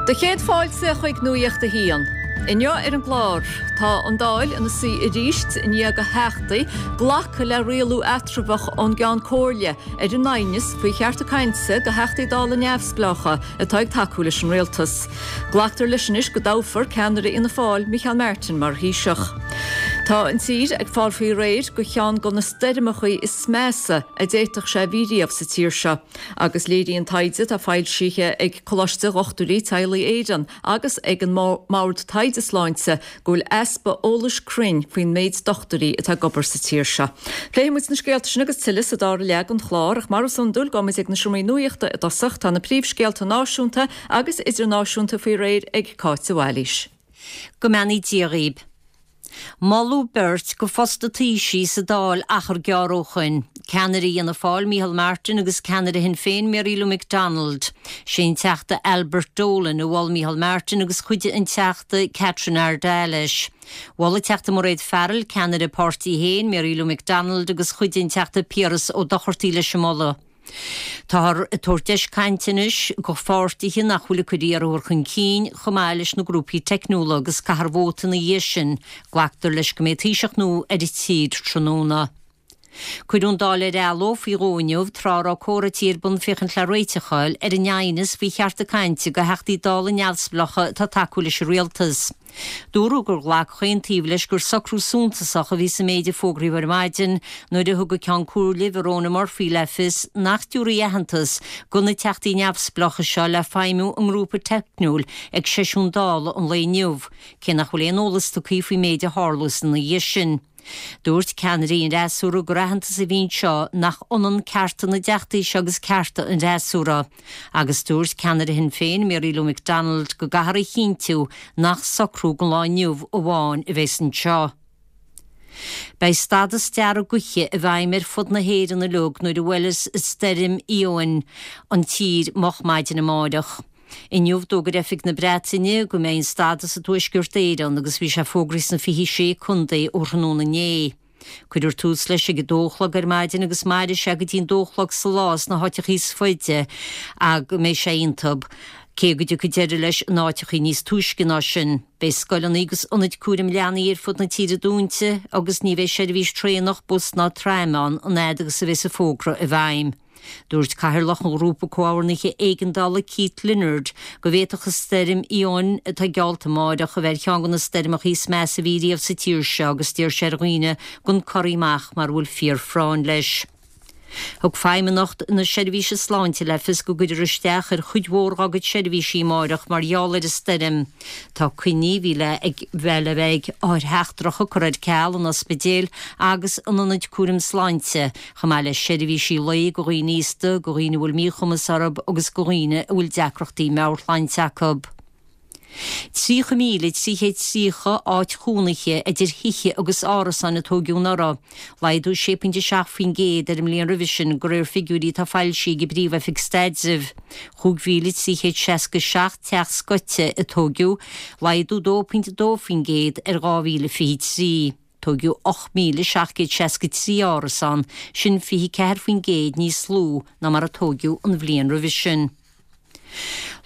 Do chéad fáilte chuig Nuacht a hAon. Inniu ar an gclár, tá an Dáil ina suí arís i ndiaidh do Theachtaí glacadh le rialú eatramhach ón gCeann Comhairle ar an aighneas faoi chearta cainte do Theachtaí Dála neamhspleácha atá ag tacú leis an rialtas. Glactar leis anois go dtoghfar ceannaire Fhianna Fáil, Micheál Martin, mar Thaoiseach. Tá an tír ag fáil faoi réir do cheann de na stoirmeachaí is measa a d'fhéadfadh sé a bhí riamh sa tír seo. Agus léiríonn taighde atá foilsithe ag Coláiste Dhochtúirí Teaghlaigh Éireann agus ag an mBord Taighde Sláinte go bhfuil easpa eolais cruinn faoin méid dochtúirí atá ag obair sa tír seo. Pléifidh muid na scéalta sin agus tuilleadh sa dara leath den chlár ach mar is iondúil gabhfaidh muid ag na seomraí nuachta i dtosach. Tá na príomhscéalta náisiúnta agus idirnáisiúnta faoi réir ag Cáit de Bhailís. Go mbeannaí Dia dhaoib. Moladh beirt go phost an Taoisigh sa Dáil achar gearr ó shoin, ceannaire Fhianna Fáil Micheál Martin agus ceannaire Shinn Féin Mary Lou McDonald. Sé an Teachta Albert Dolan a mhol Micheál Martin agus chuidigh an Teachta Catherine Ardagh leis. Mhol an Teachta Mairéad Farrell ceannaire a páirtí féin Mary Lou McDonald agus chuidigh an Teachta Piaras Ó Dochartaigh leis an moladh. Táthar ag tabhairt deis cainte anois go pháirtithe nach bhfuil ag cur iarrthóir chun cinn, chomh maith leis na grúpaí teicniúla agus caithfear vóta ina dhiaidh sin. Glactar leis go mbeidh Taoiseach nua ar an tír tráthnóna. Cuireadh an Dáil ar athló faoi dhó inniu tráth a raibh comhráití ar bun féachaint le réiteach a fháil ar an aighneas faoi chearta cainte go Theachtaí Dála neamhspleácha atá ag tacú leis an rialtas. Dúradh gur ghlac chaon taobh leis gur socrú suntasach a bhí sa méid a fógraíodh ar maidin nuair a thug an Ceann Comhairle Verona Murphy le fios nach dtabharfaí aitheantas go na teachtaí neamhspleácha seo le feidhmiú a ngrúpa teicniúil ag seisiún Dála an lae inniu, cé nach bhfuil aon eolas tugtha faoin méid a tharlós ina dhiaidh sin. Dúirt ceannairí an fhreasúra gur aitheantas a bhí anseo nach ionann cearta na dteachtaí seo agus cearta an fhreasúra. Agus dúirt ceannaire Shinn Féin, Mary Lou McDonald, go gcaithfear a chinntiú nach socrú don lá inniu amháin a bheas anseo. Beidh stádas dearg gaoithe i bhfeidhm ar fud na hÉireann uilig nuair a bhuailfeas Stoirm Éowyn an tír moch maidin amáireach. Inniu d'fhógair Oifig na Breataine go mbeidh an stádas i dTuaisceart Éireann agus bhí sé fógraithe sna 26 contae ó thráthnóna inné. Cuirfear tús leis ag a dó a chlog ar maidin agus mairfidh sé go dtí an dó a chlog sa lá sna háiteachaí is faide go mbeidh sé iontub, cé go dtiocfaidh deireadh leis in áiteachaí níos túisce ná sin. Beidh scoileanna agus ionaid cúraim leanaí ar fud na tíre dúnta agus ní bheidh seirbhís traenach, bus ná traime ann an fhad agus a bheas an fógra i bhfeidhm. Dúirt Cathaoirleach an Ghrúpa Comhordnaithe Éigeandála Keith Leonard go bhféadfadh an stoirm Éowyn atá geallta amáireach a bheith ar cheann de na stoirmeacha is measa a bhí riamh sa tír seo agus d'iarr sé ar dhaoine gan corraí amach mara bhfuil fíor-phráinn leis. Thug Feidhmeannacht na Seirbhíse Sláinte le fios go gcuirfear isteach ar chuid mhór dá gcuid seirbhísí amáireach mar gheall ar an stoirm. Tá coinní a bhí le bheith le bheith ag othair sheachtracha curtha ar ceal in ospidéil agus in ionaid cúraim sláinte chomh maith le seirbhísí lae go dhaoine aosta, go dhaoine a bhfuil míchumas orthu agus go dhaoine a bhfuil deacrachtaí meabhairshláinte acu. 30,330 áit chónaithe idir thithe agus árasáin a tóigeadh anuraidh, laghdú 6.7% ar an mbliain roimhe sin, de réir figiúirí atá foilsithe ag an bPríomh-Oifig Staidrimh. 5,367 teach scoite a tóigeadh, laghdú 2.2% ar 2023. Tóigeadh 8,763 árasán, sin 24% níos lú ná mar a tóigeadh an bhliain roimhe sin.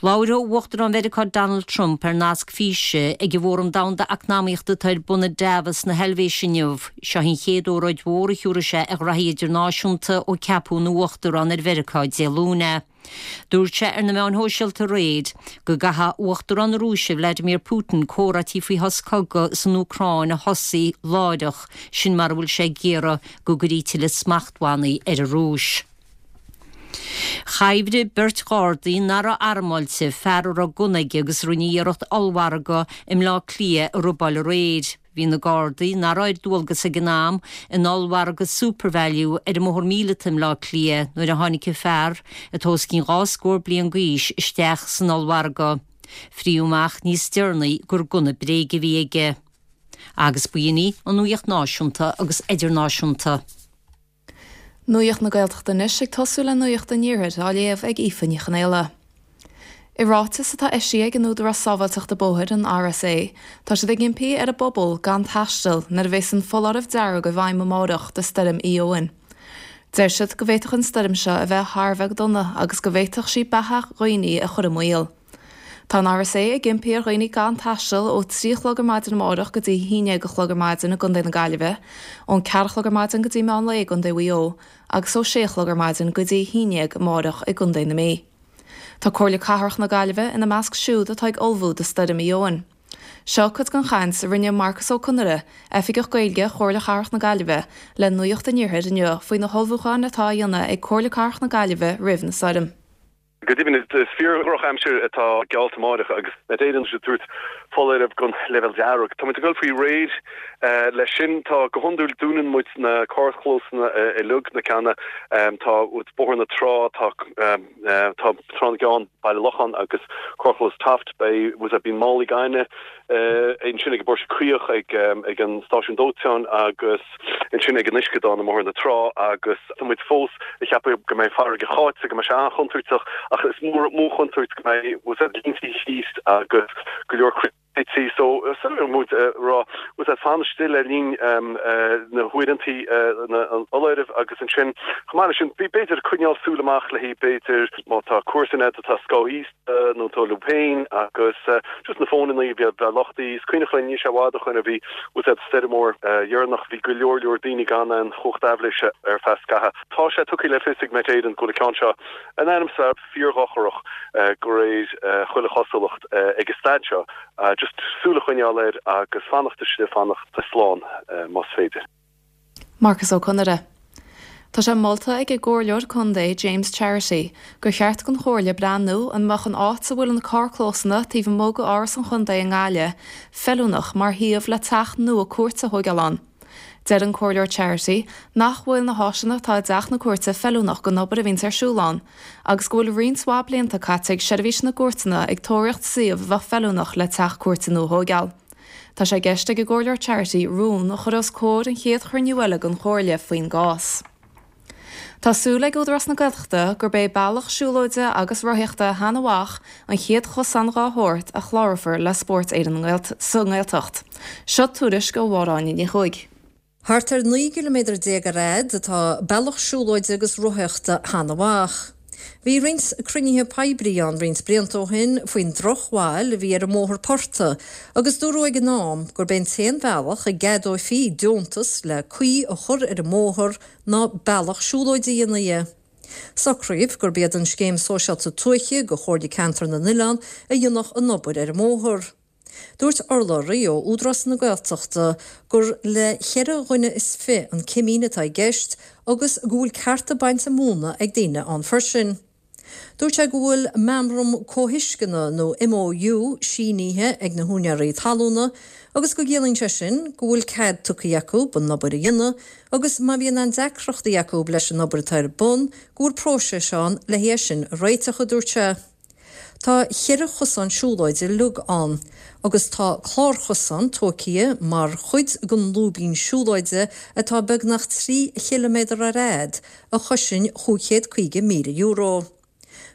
Labharfaidh Uachtarán Mheiriceá Donald Trump ar nasc físe ag an bhFóram Domhanda Eacnamaíochta atá ar bun i Davos na hEilvéise inniu. Seo í an chéad óráid mhór a thiúrfaidh sé ar ghraithí idirnáisiúnta ó ceapadh ina Uachtarán ar Mheiriceá Dé Luain é. Dúirt sé ar na meáin shóisialta aréir go gcaithfidh Uachtarán na Rúise Vladimir Putin comhráití faoi shos cogaidh san Úcráin a thosaí láithreach, sin mara bhfuil sé ag iarraidh go gcuirfí tuilleadh smachtbhannaí ar an Rúis. Chabhraigh beirt Ghardaí nach raibh armáilte fear a raibh gunna aige agus a rinne iarracht ollmhargadh i mBleá Cliath a robáil aréir. Bhí na Gardaí, nach raibh ar dualgas ag an am, in ollmhargadh Supervalu ar an mBóthar Míleata i mBleá Cliath nuair a tháinig an fear, atá os cionn 2 scór bliain d'aois, isteach san ollmhargadh. Frítheadh amach níos deireanaí gur gunna bréige a bhí aige. Agus b'in í an nuaíocht náisiúnta agus idirnáisiúnta. Nuacht na Gaeltachta anois ag tosú le Nuacht an Iarthair á léamh ag Aoife Ní Chonaola. I ráiteas atá eisithe ag an Údarás Sábháilteachta Bóthair, an RSA, tá siad ag impí ar an bpobal gan taisteal nuair a bheas an foláireamh dearg i bhfeidhm amárach do Stoirm Éowyn. Deir siad go bhféadfadh an stoirm seo a bheith thar a bheith dona agus go bhféadfadh sí beatha dhaoine a chur i mbaol. Tá an RSA ag impí ar dhaoine gan taisteal ó 3 a chlog ar maidin amárach go dtí 11 a chlog ar maidin i gContae na Gaillimhe, ón 4 a chlog ar maidin go dtí meán lae i gContae Mhaigh Eo agus ó 6 a chlog ar maidin go dtí 11 amárach i gContae na Mí. Tá Comhairle Cathrach na Gaillimhe ina measc siúd atá ag ullmhú do Stoirm Éowyn. Seo cuid den chaint a rinne Marcus Ó Conaire, Oifigeach Gaeilge Chomhairle Cathrach na Gaillimhe, le Nuacht an Iarthair inniu faoi na hullmhúcháin atá á dhéanamh ag Comhairle Cathrach na Gaillimhe roimh na stoirm. Go deimhin, is fíor-dhrochaimsir atá geallta amáireach agus Met Éireann ag tabhairt foláireamh don leibhéal dearg. Tá muid ag dul faoi réir leis sin. Tá, go hiondúil, dúnann muid na carrchlósanna uilig, na ceanna, tá Bóthar na Trá, tá tá Trá na gCeann, Baile Locháin agus carrchlós Taft. Beidh, bíonn málaí gainimh ansin ag an bPóirse Caoch, ag an stáisiún dóiteáin agus. ansin ag an uisceadán i mBóthar na Trá agus tá muid fós ag ceapadh go mbeidh farraige cháite, go mbeidh sé an-chontúirteach ach is mó mó chontúirt go mbeidh línte thíos agus go leor cnoití so so muid ag rá bhfuil fan istigh le linn na huaireantaí an fholáirimh agus ansin chomh maith leis sin b'fhéidir coinneáil súil amach le haghaidh b'fhéidir má tá comharsan agat atá scáthaosta nó tú leat féin agus just na fónannaí a bheith luchtaithe. Is cuimhneach linn, níl sé i bhfad ó shoin a bhí bhfuil an stoirm mór dheireanach, bhí go leor leor daoine gan aon chumhacht aibhléise ar feadh scaithimh. Tá sé tugtha le fios ag Met Éireann go bhfuil an ceann seo in ainm is a bheith fíordhochrach de réir chuile chosúlacht ag an staid seo. Just súil a choinneáil air agus fanacht istigh, fanacht slán más féidir. Marcus Ó Conaire. Tá sé molta ag an gComhairleoir Contae James Charity gur cheart don Chomhairle breathnú an mbeadh an áit a bhfuil na carrclósanna taobh amuigh de Áras an Chontae i nGaillimh feiliúnach mar shuíomh le teach nua cúirte a thóigeáil ann. Deir an Comhairleoir Charity nach bhfuil na háiseanna atá i dteach na cúirte feiliúnach don obair a bhíonns ar siúl ann agus go bhfuil roinnt mhaith blianta caite ag Seirbhís na gCúirteanna ag tóraíocht suíomh a bheadh feiliúnach le teach cúirte nua a thóigeáil. Tá sé i gceist ag an gComhairleoir Charity rún a chur os comhair an chéad chruinniú eile den Chomhairle faoin gcás. Tá súil ag Údarás na Gaeltachta gurb é bealach siúlóide agus rothaíochta Sheanadh Mhach an chéad chosán dá shórt a chlárófar le Spórt Éireann sa nGaeltacht. Seo tuairisc ó Mháire Áine Ní Chuaig. Thart ar 19 gciliméadar ar fhad atá bealach siúlóide agus rothaíochta Sheanadh Mhach. Bhí roinnt cruinnithe poiblí ann roinnt blianta ó shin faoin drochbhail a bhí ar an mbóthar portaigh agus dúradh ag an am gurb é an t-aon bhealach a gceadófaí deontas le caoi a chur ar an mbóthar ná bealach siúlóide a dhéanamh dhe. Socraíodh gurb iad an Scéim Sóisialta Tuaithe do Chomhairle Ceantar na nOileán a dhéanfadh an obair ar an mbóthar. Dúirt urlabhraí ó Údarás na Gaeltachta gur le cheithre dhuine is fi an cimín atá i gceist agus go bhfuil cearta bainte móna ag daoine ann freisin. Dúirt sé go bhfuil Meamram Comhthuisceana nó MOU sínithe ag na húinéirí talúna agus go gciallaíonn sé sin go bhfuil cead tugtha acu an obair a dhéanamh agus má bhíonn aon deacrachtaí acu leis an obair atá ar bun go bhfuil próiseas ann le é sin a réiteach, a dúirt sé. Tá cheithre chosán siúlóide uilig ann agus tá clárchosán tóigthe mar chuid den lúibín siúlóide atá beagnach 3 chiliméadar ar fhad a chosain €550,000.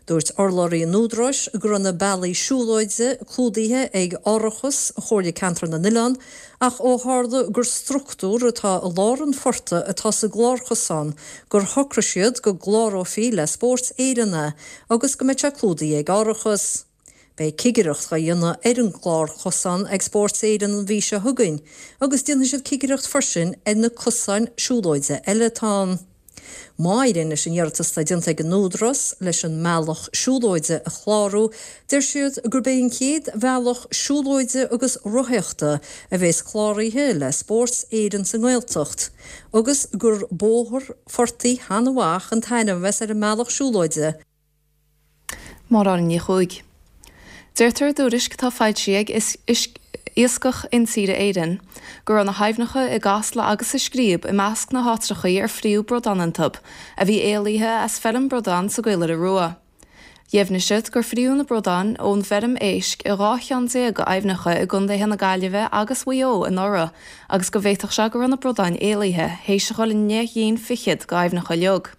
Dúirt urlabhraí an Údaráis go raibh na bealaí siúlóide clúdaithe ag árachas Chomhairle Ceantar na nOileán ach ó tharla gur struchtúr atá i lár an phortaigh atá sa gclárchosán gur shocraigh siad go gclárófaí le Spórt Éireann é agus go mbeidh sé clúdaithe ag árachas. Beidh cigireacht á dhéanamh ar an gclárchosán ag Spórt Éireann an mhí seo chugainn agus déanfaidh siad cigireacht freisin ar na cosáin siúlóide eile atá ann. Má éiríonn leis an iarratas atá déanta ag an Údarás leis an mbealach siúlóide a chlárú, deir siad gurb é an chéad bhealach siúlóide agus rothaíochta a bheas cláraithe le Spórt Éireann sa nGaeltacht agus gur Bóthar Phortaigh Sheanadh Mhach an t-ainm a bheas ar an mbealach siúlóide. Máire Áine Ní Chuaig. Deirtear i dtuairisc atá foilsithe ag Iascach Intíre Éireann go raibh na haibhneacha i gCasla agus sa Scríob i measc na háitreachaí ar fríodh bradán iontu a bhí éalaithe as feirm bradán sa gCaolaire Rua. Dheimhnigh siad gur fríodh na bradáin ón bhfeirm éisc i 12 cheann d'aibhneacha i gcontaetha na Gaillimhe agus Mhaigh Eo anuraidh agus go bhféadfadh sé go raibh na bradáin éalaithe théis a dhul i ndeich gcinn fichead d'aibhneacha uilig.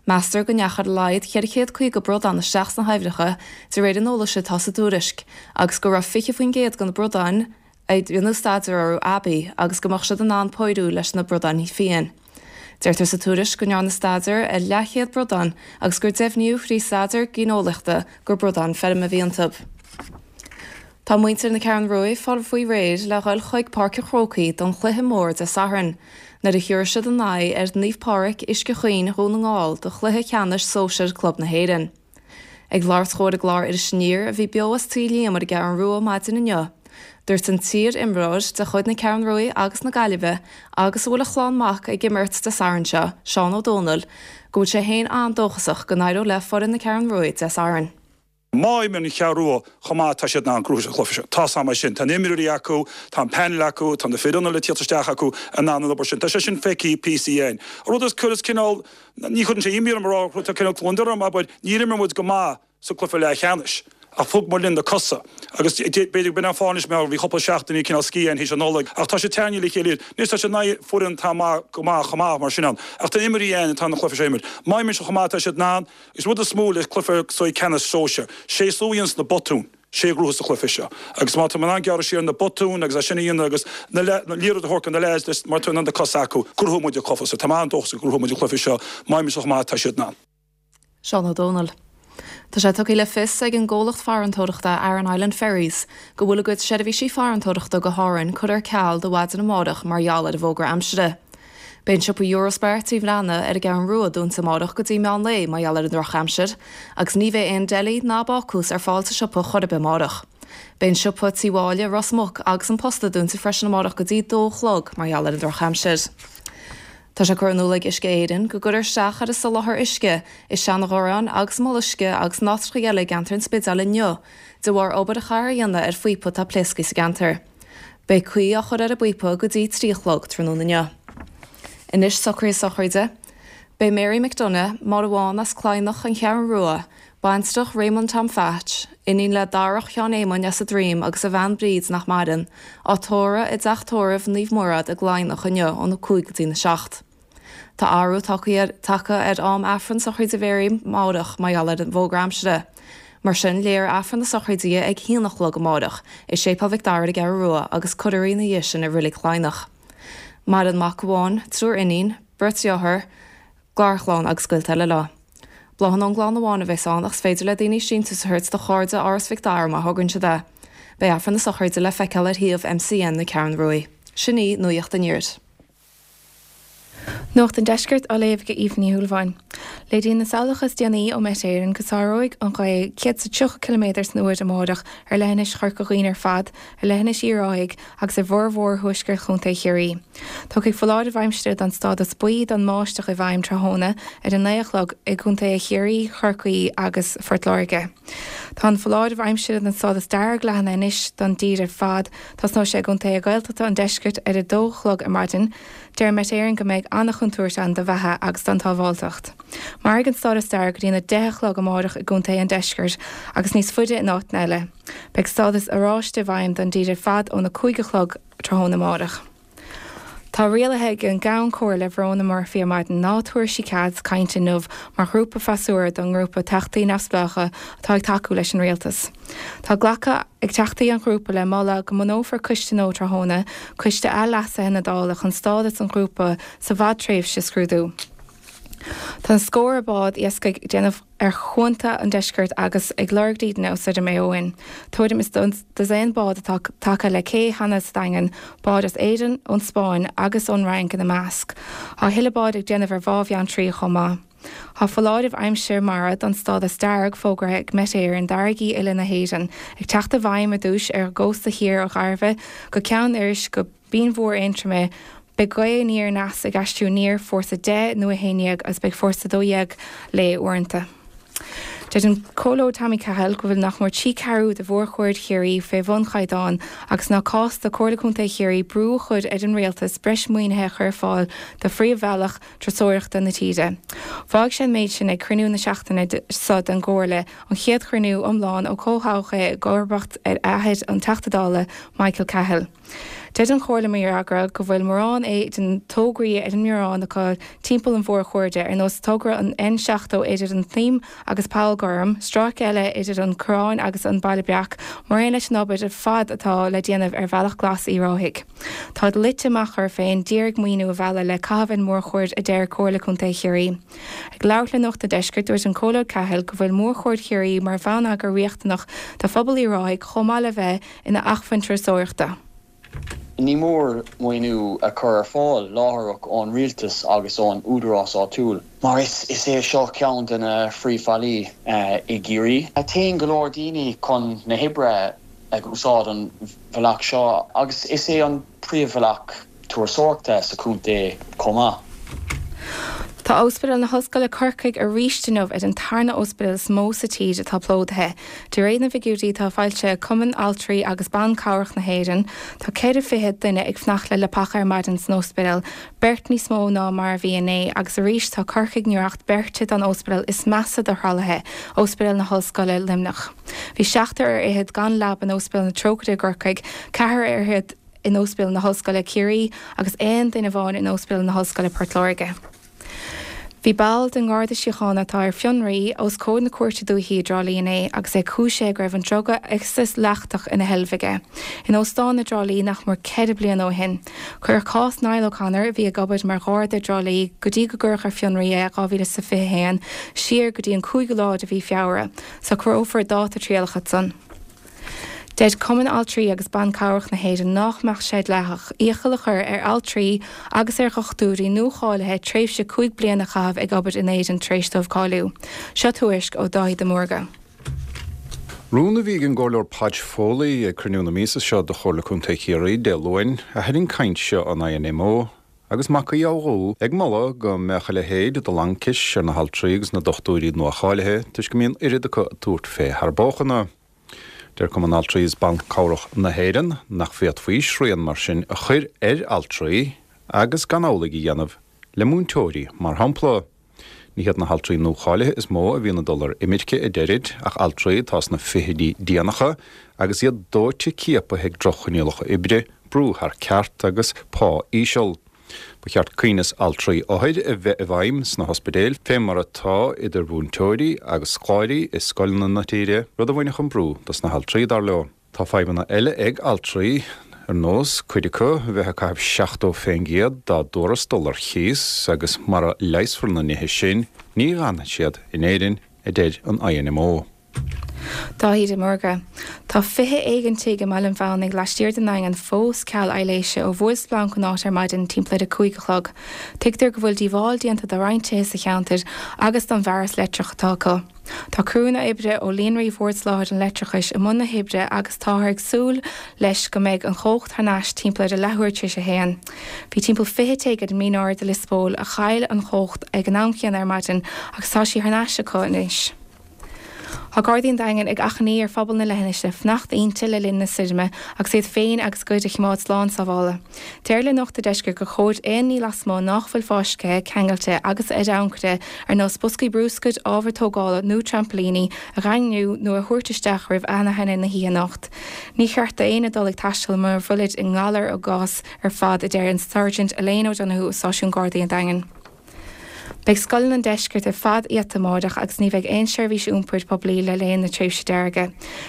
Meastar go ndeachaigh ar a laghad 450 bradán isteach sna haibhneacha, de réir an eolais atá sa tuairisc, agus go raibh 20% de na bradáin a rinneadh staidéar orthu aibí agus go mbeadh siad in ann pórú leis na bradáin fiáin. Deirtear sa tuairisc go ndearnadh staidéar ar leathchéad bradán agus gur deimhníodh thrí staidéar géineolaíochta gur bradáin feirme a bhí iontu. Tá muintir na Ceathrún Rua ag fáil faoi réir le dhul chuig Páirc an Chrócaigh don chluiche mór Dé Sathairn, nuair a thiúrfaidh siad a n-aghaidh ar Naomh Pádraig, Uisce Chaoin, Dhún na nGall do chluiche ceannais sóisir club na hÉireann. Ag labhairt dhó ar an gclár Iris Aniar a bhí beo as Tigh Liam ar an gCeathrún Rua maidin inniu, dúirt an t-iar-imreoir de chuid na Ceathrún Rua agus na Gaillimhe agus a bhfuil a chlann mac ag imirt Dé Sathairn seo, Seán Ó Dónaill, go bhfuil sé féin an-dóchasach go n-éireoidh le foireann na Ceathrún Rua Dé Sathairn. Má imríonn an Cheathrú Rua chomh maith atá siad in ann gnóthú an chluiche seo. Tá's a'm é sin. Tá na imreoirí acu, tá an panel acu, tá na fir ionaid le tíocht isteach acu in ann an obair sin. Tá sé sin feicthe píosa again. An rud is cuireas cineál, ní chuireann sé imní orm a rá, tá cineál gliondar orm, abair, níor imir muid go maith sa cluiche leathcheannais ach thug muid linn na cosa agus b'fhéidir b'in an fáth anois mar bhí cúpla seachtainí cineál scíth againn théis an Nollaig ach tá sé tarraingthe le chéile anois tá sé in aghaidh foireann atá maith go maith chomh maith mar sin ann ach tá imreoirí ann atá an cluiche seo a imirt. Má imríonn siad chomh maith atá siad in ann Is rud is mó le cluiche seo ceannais sóisir, sé is lú a dhéananns na botúin, sé a ghnóthós an cluiche seo. Agus má tá in ann gearradh siar na botúin agus é sin a dhéanamh agus na liathróid a thabhairt do na leaids leis mar tá in ann na cosa acu, gnóthóidh muid an cluiche seo. Tá mé an-dóchasach go gnóthóidh muid an cluiche seo. Má imríonn siad chomh maith atá siad in ann. Seán Ó Dónaill. Tá sé tugtha le fios ag an gcomhlacht farantóireachta Aran Island Ferries go bhfuil a gcuid seirbhísí farantóireachta go hÁrainn curtha ar ceal do mhaidin amárach mar gheall ar an bhfógra aimsire. Beidh an siopa Eurospar Tí Bhreathnaigh ar an gCeathrún Rua dúnta amárach go dtí meán lae mar gheall ar an drochaimsir, agus ní bheidh aon deli ná bácús ar fáil sa siopa chor ar bith amárach. Beidh an siopa Tí Mháille, Ros Muc agus an Posta dúnta freisin amárach go dtí dó a chlog mar gheall ar an drochaimsir. Tá sé curtha in iúl ag Uisce Éireann go gcuirfear isteach ar an soláthar uisce i Seanadh-Gharrán agus i Mull Uisce agus in áiteacha eile i gceantar an Spidéil inniu de bharr obair a chaithfear a dhéanamh ar phíopa atá pléasctha sa gceantar. Beidh caoi á chur ar an bpíopa go dtí 3 a chlog tráthnóna inniu. Anois socruithe sochraide. Beidh Mary McDonagh, Máire Bhán as Cladhnach, An Cheathrún Rua, baintreach Raymond Tom Phatch, iníon le Darach Sheáin Éamoinn as an Droim agus a bhean Bríd nach maireann, á tórramh i dTeach Tórraimh Naomh Murad i gCladhnach inniu óna 5 go dtína 7. Tá athrú tagtha ar am Aifreann sochraide Mhary amárach mar gheall ar an bhfógra aimsire. Mar sin, léifear Aifreann na sochraide di ag haon a chlog amárach i Séipéal Mhic Dara ar an gCeathrú Rua agus cuirfear í ina dhiaidh sin i Reilig Chladhnach. Maireann mac amháin, triúr iníon, beirt dhearthár, garchlann agus gaolta eile leo. Bláthanna ón gclann amháin a bheas ann ach is féidir le daoine síntiús a thabhairt do Chairde Áras Mhic Dara má thograíonn siad é. Beidh Aifreann na sochraide le feiceáil ar shuíomh MCN na Ceathrún Ruaidh. Sin í Nuacht an Iarthair. Nuacht an Deiscirt á léamh ag Aoife Ní Shúilleabháin. Léiríonn na samhlacha is déanaí ó Met Éireann go sáróidh an ghaoth 130 ciliméadar san uair amárach ar leithinis Chorca Dhuibhne ar fad, ar leithinis Uíbh Ráthaigh agus ar bhformhór thuaisceart Chontae Chiarraí. Tiocfaidh foláireamh aimsire don stádas buí don mbáisteach i bhfeidhm tráthnóna ar a 9 a chlog i gcontaetha Chiarraí, Chorcaí agus Phort Láirge. Tá an foláireamh aimsire don stádas dearg leathnaithe anois don dtír ar fad. Tosnóidh sé i gcontaetha Gaeltachta an deiscirt ar a dó a chlog ar maidin. Deir Met Éireann go mbeidh an-chontúirt ann do bheatha agus don tsábháilteacht. Mairfidh an stádas dearg go dtína 10 a chlog amárach i gcontaetha an deiscirt agus níos faide in áiteanna eile. Beidh stádas oráiste i bhfeidhm don dtír ar fad óna 5 a chlog tráthnóna amárach. Tá rialaithe ag an gCeann Comhairle Verona Murphy ar maidin ná tabharfaidh sí cead cainte inniu mar ghrúpa freasúra don ngrúpa Teachtaí Neamhspleácha atá ag tacú leis an Rialtas. Tá glactha ag Teachtaí an ghrúpa le moladh go mbunófar coiste nua tráthnóna, Coiste Athleasaithe na Dála chun stádas an ghrúpa sa bhfadtréimhse a scrúdú. Tá na scórtha bád iascaigh ag déanamh ar chuanta an deiscirt agus ag lorg dídine ó soir i Maigh Eo. Tuairim is dosaen bád atá tagtha le cé cheana sa Daingean, báid as Éirinn, ón Spáinn agus ón Fhrainc ina measc. Tá a thuilleadh bád ag déanamh ar Bhá Bheanntraí chomh maith. Tá foláireamh aimsir mara don stádas dearg fógartha ag Met Éireann d'fharraigí uile na hÉireann, ag teacht i bhfeidhm ar dtús ar an gcósta thiar ó Dhairbhe go Ceann Iorrais go Binn Mhór Aontroma, Beidh gaoth aniar aneas ag aistriú aniar, fórsa 10 nó 11 agus beidh fórsa 12 léi uaireanta. Deir an Comhairleoir Tommy Cahill go bhfuil nach mór 3 ceathrú de mhórchuid Chiarraí fé bhun chaighdeán agus nach cás do Comhairle Contae Chiarraí brú a chur ar an Rialtas breis maoinithe a chur ar fáil do phríomhbhealach turasóireachta na tíre. Mhaígh sé an méid sin ag cruinniú na seachtaine seo den gComhairle, an chéad chruinniú iomlán ó comhthoghadh é i gcomharbacht ar athair an Teachta Dála, Michael Cahill. Deir an Chomhairle mar fhreagra go bhfuil mórán den tograí ar an mbhiorán acu timpeall an mhórchuairde, ar nós togra an N70 idir an tSnaidhm agus Poll Gorm, stráice eile idir an Coireán agus an Baile Breac, mar aon leis an obair ar fad atá le déanamh ar Bhealach Glas Uíbh Ráthaigh. Táid luite amach orthu féin d'iarraidh maoiniú a mhealladh le caitheamh ar an mórchuaird, a deir Comhairle Contae Chiarraí. Ag labhairt le Nuacht an Deiscirt, dúirt an Comhairleoir Cahill go bhfuil Mórchuaird Chiarraí mar bhonneagar riachtanach do phobal Uíbh Ráthaigh chomh maith le bheith ina acmhainn turasóireachta. Ní mór maoiniú a chur ar fáil láithreach ón rialtas agus ón údarás áitiúil mar is é seo ceann de na phríomhbhealaí i gCiarraí. Téann go leor daoine chun na hoibre ag úsáid an bhealach seo agus is é an príomhbhealach turasóireachta sa chontae chomh maith. Tá Ospidéal na hOllscoile Corcaigh arís inniu ar an tarna ospidéal is mó sa tír atá plódaithe. De réir na bhfigiúirí atá foilsithe ag Cumann Altraí agus Ban Cabhrach na hÉireann, tá 4 fichid duine ag fanacht le leapacha ar maidin san ospidéal, beirt níos mó ná mar a bhí inné, agus arís tá Corcaigh i ngiorracht beirte don ospidéal is measa do thralaithe, Ospidéal na hOllscoile Luimneach. Bhí seachtar ar fhichead gan leaba in Ospidéal na Trócaire i gCorcaigh, ceathrar ar fhichead, in Ospidéal na hOllscoile Ciarraí agus aon duine amháin in Ospidéal na hOllscoile Port Láirge. Bhí ball den nGarda Síochána atá ar fionraí os comhair na Cúirte Dúichí i dTrá Lí inné agus é cúisithe go raibh an druga ecstasy leachtach ina sheilbh aige in óstán i dTrá Lí nach mór 4 bliana ó shin. Cuireadh cás Niall O'Connor, a bhí ag obair mar gharda i dTrá Lí go dtí go gcuireadh ar fionraí é i 2021, siar go dtí an cúigiú lá de mhí Feabhra. Socrófar dáta trialach ansan. Deir Cumann Altraí agus Ban Cabhrach na hÉireann nách mbeadh sé dleathach iachall a chur ar altraí agus ar dhochtúirí nuacháilithe tréimhse 5 bliana a chaitheamh ag obair in Éirinn tar éis dóibh cáiliú. Seo tuairisc ó Dáithí de Mórdha. Rún a bhí ag an gComhairleoir Podge Foley ag cruinniú na míosa seo de Chomhairle Contae Chiarraí Dé Luain a tharraing caint seo an INMO agus Mac Aodha Bhuí ag moladh go mbeadh a leithéid de laincis ar na haltraí agus na dochtúirí nuacháilithe toisc go mbíonn oiread acu ag tabhairt fé thar bóchanna. Deir Cumann Altraí is Ban Cabhrach na hÉireann nach bhféadfaí srian mar sin a chur ar altraí agus gan amhlaidh a dhéanamh le múinteoirí, mar shampla. Ní hiad na haltraí nuacháilithe is mó a bhíonn ag dul ar imirce, a deirid, ach altraí atá sna fichidí déanacha agus iad dóite ciapaithe ag droch-choinníollacha oibre, brú thar ceart agus pá íseal. Ba cheart coibhneas altraí-othair a bheith i bhfeidhm sna hospidéil, fé mar atá idir mhúinteoirí agus scoláirí i scoileanna na tíre, rud a bhainfeadh an brú dos na haltraí, dar leo. Tá fadhbanna eile ag altraí, ar nós cuid acu a bheith ag caitheamh 70 fén gcéad dá dtuarastal ar chíos agus mara leigheasfar na nithe sin, ní fhanfaidh siad in Éirinn, a deir an INMO. Dáithí de Mórdha. Tá 20 éigin tigh i mBaile an Mheánaigh laistiar den nDaingean fós ceal aibhléise ó bhuail splanc an áit ar maidin timpeall ar a 5 a chlog. Tuigtear go bhfuil díobháil déanta do roinnt tithe sa cheantar agus don bhfearas leictreach atá acu. Tá criúnna oibre ó Líonraí Bhord Soláthair an Leictreachais i mbun na hoibre agus táthar ag súil leis go mbeidh an chumhacht thar n-ais timpeall ar a leathuair tar éis a haon. Bhí timpeall 20 tigh ar an Mín Ard i Lios Póil a chaill an chumhacht ag an am céanna ar maidin agus tá sí thar n-ais acu anois. Tá Gardaí an Daingin ag achainí ar phobal na leithinise fanacht inti le linn na stoirme agus iad féin agus a gcuid a choimeád slán sábhála. Deirtear le Nuacht an Deiscirt gur chóir aon ní lasmuigh nách bhfuil fáiscthe, ceangailte agus ar ancaire ar nós boscaí brúscair, ábhar tógála nó trampailíní a dhaingniú nó a thabhairt isteach roimh anaithnid na hoíche anocht. Ní cheart d'éinne dul ag taisteal mura bhfuilid i ngalar a gcás ar fad, a deir an Sergeant Elaine O'Donoghue ó Stáisiún Gardaí an Daingin. Beidh scoileanna an deiscirt ar fad iata amáireach agus ní bheidh aon seirbhís iompair poiblí le linn na tréimhse deirge.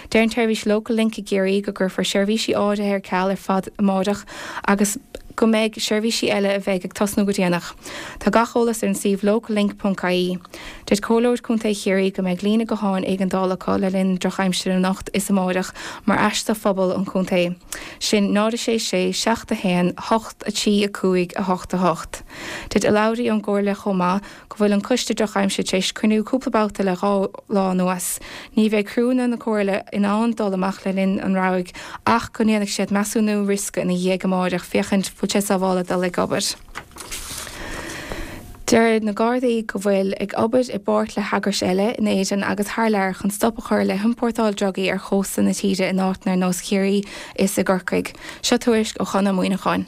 Deir an tseirbhís Local Link i gCiarraí go gcuirfear seirbhísí áirithe ar ceal ar fad amáireach agus go mbeidh seirbhísí eile a bheidh ag tosnú go déanach. Tá gach eolas ar an suíomh locallink.ie. Deir Comhairleoir Contae Chiarraí go mbeidh líne gutháin éigeandála acu le linn na drochaimsire anocht is amáireach mar ais do phobal an chontae. Sin 0 6 6 7 1 8 3 5 8 8. Deir urlabhraí ón gComhairle chomh maith go bhfuil an coiste drochaimsire tar éis cruinniú cúpla babhta le dhá lá anuas. Ní bheidh criúnna na Comhairle in ann dul amach le linn an rabhaidh ach go ndéanfaidh siad measúnú riosca ina dhiaidh amáireach féachaint bhfuil sé sábhála dul ag obair. Deir na Gardaí go bhfuil ag obair i bpáirt le heagrais eile in Éirinn agus thar lear chun stop a chur le hiompórtáil drugaí ar chósta na tíre in áiteanna ar nós Chiarraí is i gCorcaigh. Seo tuairisc ó Chonn Ó Muíneacháin.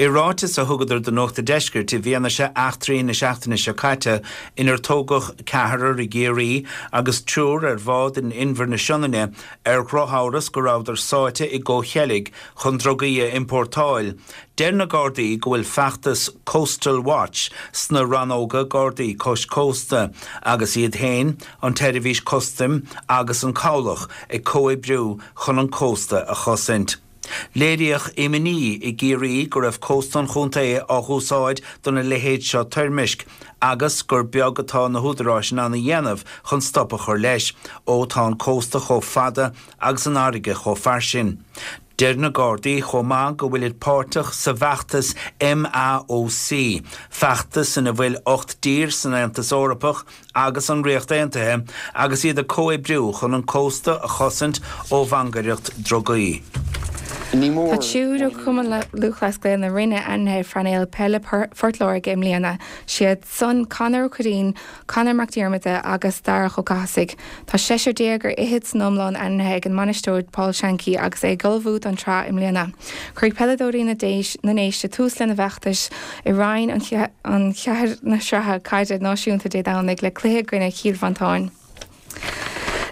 I ráiteas a thugadar do Nuacht a' Deiscirt i bhfianaise eachtraí na seachtaine seo caite inar tógadh ceathrar i gCiarraí agus triúr ar bhád in Inbhear na Sionainne ar dhrochamhras go rabhadar sáite i gcomhcheilg chun drugaí a iompórtáil, deir na Gardaí go bhfuil feachtas Coastal Watch sna rannóga Gardaí cois cósta agus iad féin, an tSeirbhís Custaim agus an Cabhlach ag comhoibriú chun an cósta a chosaint. Léiríodh imní i gCiarraí go raibh cósta an chontae á dh'úsáid dona leithéid seo toirmisc agus gur beag atá na húdaráis in ann a dhéanamh chun stop a chur leis, ó tá an cósta chomh fada agus an fharraige chomh fairsing. Deir na Gardaí chomh maith go bhfuilid páirteach sa bhfeachtas MAOC, feachtas ina bhfuil 8 dtír san Aontas Eorpach agus an Ríocht Aontaithe agus iad ag comhoibriú chun an cósta a chosaint ó mhangaireacht drugaí. Ní Tá mór triúr ó Chumann Lúthchleas Gael na Rinne ainmnithe ar phainéal peile Phort Láirge i mbliana. Siad san Conor Ó Curraoin, Conor Mac Diarmada agus Darach Ó Cathasaigh. Tá seisear déag ar fhichead san iomlán ainmnithe ag an mbainisteoir Paul Shankey agus é ag ullmhú don tsraith i mbliana. Cuirfidh peileadóirí na nDéise tús lena bhfeachtais i Roinn an 4 na Sraithe Caide Náisiúnta Dé Domhnaigh le cluiche i gcoinne Chill Mhantáin.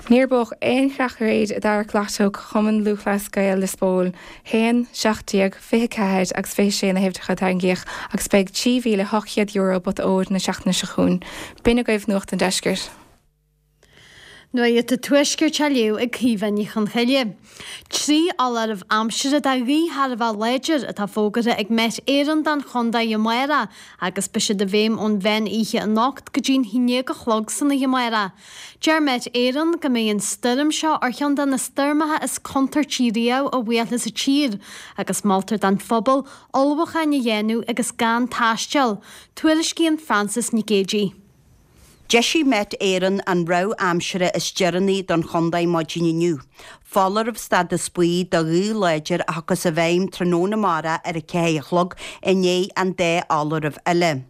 Níor buadh aon chreach aréir i dtarrac Lotto Chumann Lúthchleas Gael Lios Póil. 1, 17, 24 agus 26 na huimhreacha a tarraingíodh agus beidh €3,800 i bpota óir na seachtaine seo chugainn. B'in agaibh Nuacht an Deiscirt. Nuacht an Tuaiscirt á léamh ag Caoimhe Ní Chonchoille. 3 fholáireamh aimsire de ghaoth thar a bheith láidir atá fógartha ag Met Éireann don chontae amárach agus beidh siad i bhfeidhm ón mheán oíche anocht go dtí'n haon déag a chlog san oíche amárach. Deir Met Éireann go mbeidh an stoirm seo ar cheann de na stoirmeacha is contúirtí riamh a bhuailfeas an tír agus moltar don phobal ullmhúcháin a dhéanamh agus gan taisteal. Tuairiscíonn Frances Nic Géadaigh. D'eisigh Met Éireann an rabhadh aimsire is deireanaí don chontae maidin inniu. Foláireamh stádas buí do ghaoth láidir a thiocfas i bhfeidhm tráthnóna amárach ar a 4 a chlog i ndiaidh an dá fholáireamh eile.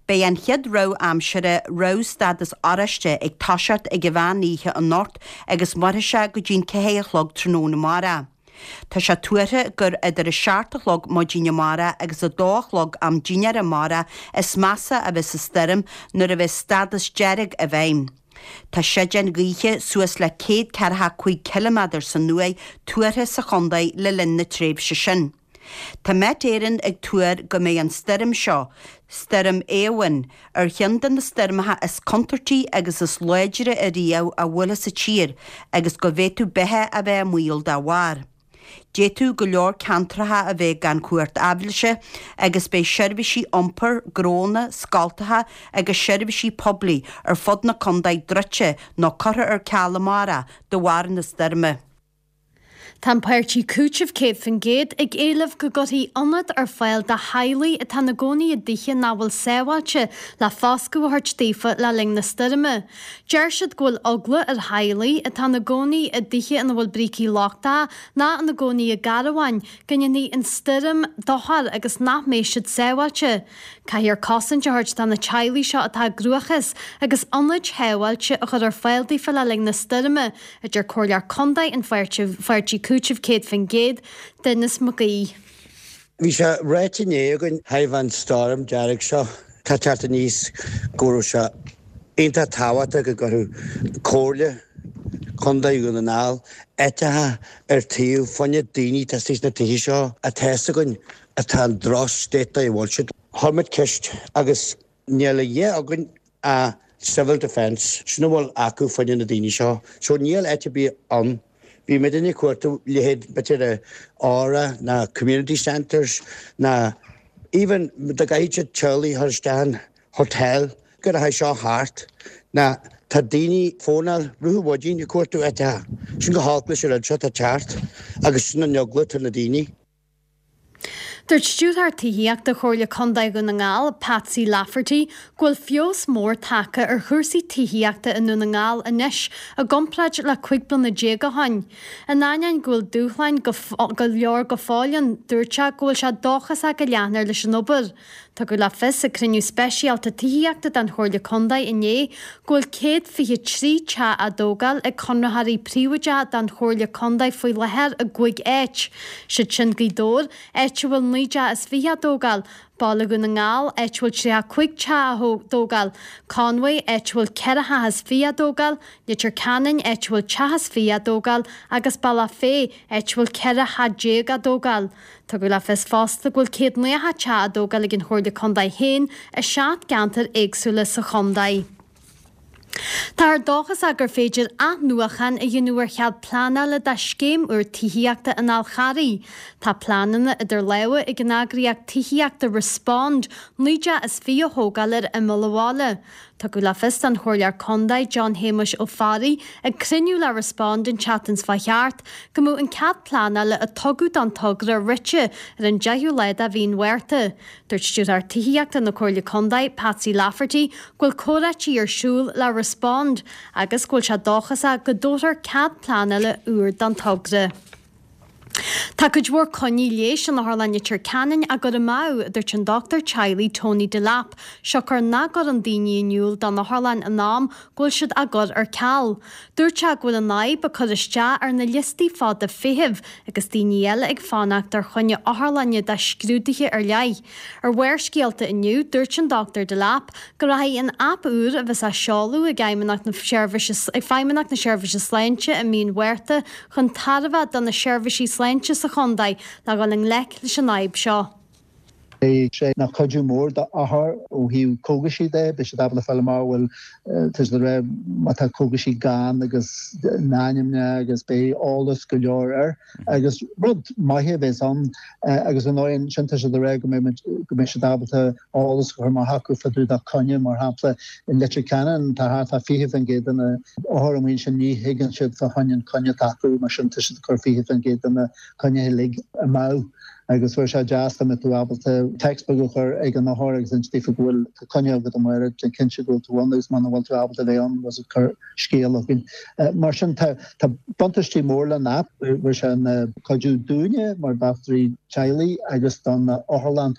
Beidh an chéad rabhadh aimsire, rabhadh stádas oráiste, ag toiseacht ag an mheán oíche anocht agus mairfidh sé go dtí'n 4 a chlog tráthnóna amárach. Tá sé tuartha gur idir a seacht a chlog maidin amárach agus a dó a chlog am dinnéir amárach is measa a bheas an stoirm nuair a bheas stádas dearg i bhfeidhm. Tá séideáin ghaoithe suas le 145 ciliméadar san uair tuartha sa chontae le linn na tréimhse sin. Tá Met Éireann ag tuar go mbeidh an stoirm seo, Stoirm Éowyn, ar cheann de na stoirmeacha is contúirtí agus is láidre ariamh a bhuailfeas an tír agus go bhféadfadh beatha a bheith i mbaol dá bharr. D'fhéadfadh go leor ceantracha a bheith gan cumhacht aibhléise agus beidh seirbhísí iompair, gnónna, scoltacha agus seirbhísí poiblí ar fud na contae druidte nó curtha ar ceal amárach de bharr na stoirme. Tá an páirtí Cúiteamh 100% ag éileamh go gcuirfí ionad ar fáil do theaghlaigh atá ina gcónaí i dtithe nach bhfuil sábháilte le foscadh a thabhairt daofa le linn na stoirme. Deir siad go bhfuil eagla ar theaghlaigh atá ina gcónaí i dtithe ina bhfuil brící lochtacha ná ina gcónaí i gcarbháin go ndéanfaidh an stoirm dochar agus nach mbeidh siad sábháilte. Caithfear cosaint a thabhairt do na teaghlaigh seo atá i gcruachás agus ionaid shábháilte a chur ar fáil daofa le linn na stoirme, a deir Comhairleoir Contae an pháirtí Cúiteamh 100%, Denis Mac Aoidh. Bhí sé ráite inné againn thaobh an stoirm dearg seo tá teacht aníos go raibh sé iontach tábhachtach go gcuirfeadh Comhairle Contae Dhún na nGall áiteacha ar taobh fá choinne daoine atá istigh sna tithe seo atá fhios againn atá in droch state a bhfuil siad. Chuir muid ceist agus níl a dhath againn ach civil defence, sin a bhfuil acu fá choinne na daoine seo. So níl áit ar bith ann. Bhí muidinne ag cuartú leithéid b'fhéidir Aura ná community centres ná even dá gcaithfidh siad teaghlaigh a chur isteach in hotel go rachaidh seo thart ná tá daoine fónáil rith an mhaidin ag cuartú áiteacha. Sin go holc leis an rud seo atá teacht agus sin an eagla atá ar na daoine. Dúirt Stiúrthóir Tithíochta Chomhairle Contae Dhún na nGall, Patsy Lafferty, go bhfuil feabhas mór tagtha ar chúrsaí tithíochta i nDún na nGall anois i gcomparáid le 15 bliana ó shin. In ainneoin go bhfuil dúshláin go leor go fóill ann, dúirt sé go bhfuil sé dóchasach go leanfar leis an obair. Tugadh le fios ag cruinniú speisialta tithíochta den Chomhairle Contae inné go bhfuil 123 teach á dtógáil ag conraitheoirí príobháideacha don Chomhairle Contae faoi láthair i gcúig áit, siad sin Gaoth Dobhair, áit a bhfuil 19 dteach á dtógáil, Baile Dhún na nGall, áit a bhfuil 35 teach á dtógáil, Conway, áit a bhfuil 4 theach is 20 á dtógáil, Leitir Ceanainn, áit a bhfuil teach is 20 á dtógáil, agus Bealach Féich, áit a bhfuil 14 theach á dtógáil. Tugadh le fios fosta go bhfuil 190 teach á dtógáil ag an Chomhairle Contae féin i seacht gceantar éagsúla sa chontae. Táthar dóchasach gur féidir athnuachan a dhéanamh ar chead pleanála do scéim úr tithíochta an Fháil Charraigh. Tá pleananna idir lámha ag an eagraíocht tithíochta Respond 19 dteach is 20 a thógáil ar imeall an bhaile. Tugadh le fios don Chomhairleoir Contae John Shéamuis Ó Fearraigh ag cruinniú le Respond an tseachtain seo chuaigh thart go mbeadh an cead pleanála a tugadh don togra rite ar an 10ú lá de mhí an Mhárta. Dúirt Stiúrthóir Tithíochta na Comhairle Contae, Patsy Lafferty, go bhfuil comhráití ar siúl le Respond agus go bhfuil sé dóchasach go dtabharfar cead pleanála úr don togra. Tá cuid mhór coinní leighis in Otharlann Leitir Ceanainn á gcur amú, a dúirt an dochtúir teaghlaigh Tony Delap, siocair nach gcuireann daoine in iúl don otharlann in am go bhfuil siad á gcur ar ceal. Dúirt sé go bhfuil an fhadhb ag cur isteach ar na liostaí fada feithimh agus daoine eile ag fanacht ar choinne otharlainne do scrúduithe ar leith. Ar Bharrscéalta inniu, dúirt an Dr Delap go rachaidh an aip úr a bheas á seoladh ag Fheidhmeannacht na Feidhmeannacht na Seirbhíse Sláinte i mí an Mhárta chun tairbhe do na seirbhísí sláinte sa chontae le dhul i ngleic leis an fhadhb seo. Beidh sé ina chuidiú mór d'othair ó thaobh cógaisí de, beidh siad ábalta fáil amach bhfuil, tá siad ag rá má tá cógaisí gann agus na n-ainmneacha agus beidh eolas go leor air. Agus rud maith a bheas ann agus ar ndóigh ansin tá siad ag rá go mbeidh go mbeidh siad ábalta eolas a chur amach acu fá dtaobh de coinne, mar shampla i Leitir Ceanainn tá thart fá 20% de na othair amuigh ansin ní thuigeann siad fá choinne an coinne atá acu mar sin tá siad ag cur 20% de na coinnithe uilig amú agus bheadh sé deas dá mbeadh tú ábalta text beag a chur ag an othar agus inse daofa go bhfuil tá coinne agat amárach, déan cinnte go bhfuil tú ann agus muna bhfuil tú ábalta bheith ann was cuir scéal chugainn. Mar sin tá tá buntáistí mór leis an aip, bheadh sé ina cuidiú dúinne mar dhochtúirí teaghlaigh agus don otharlann.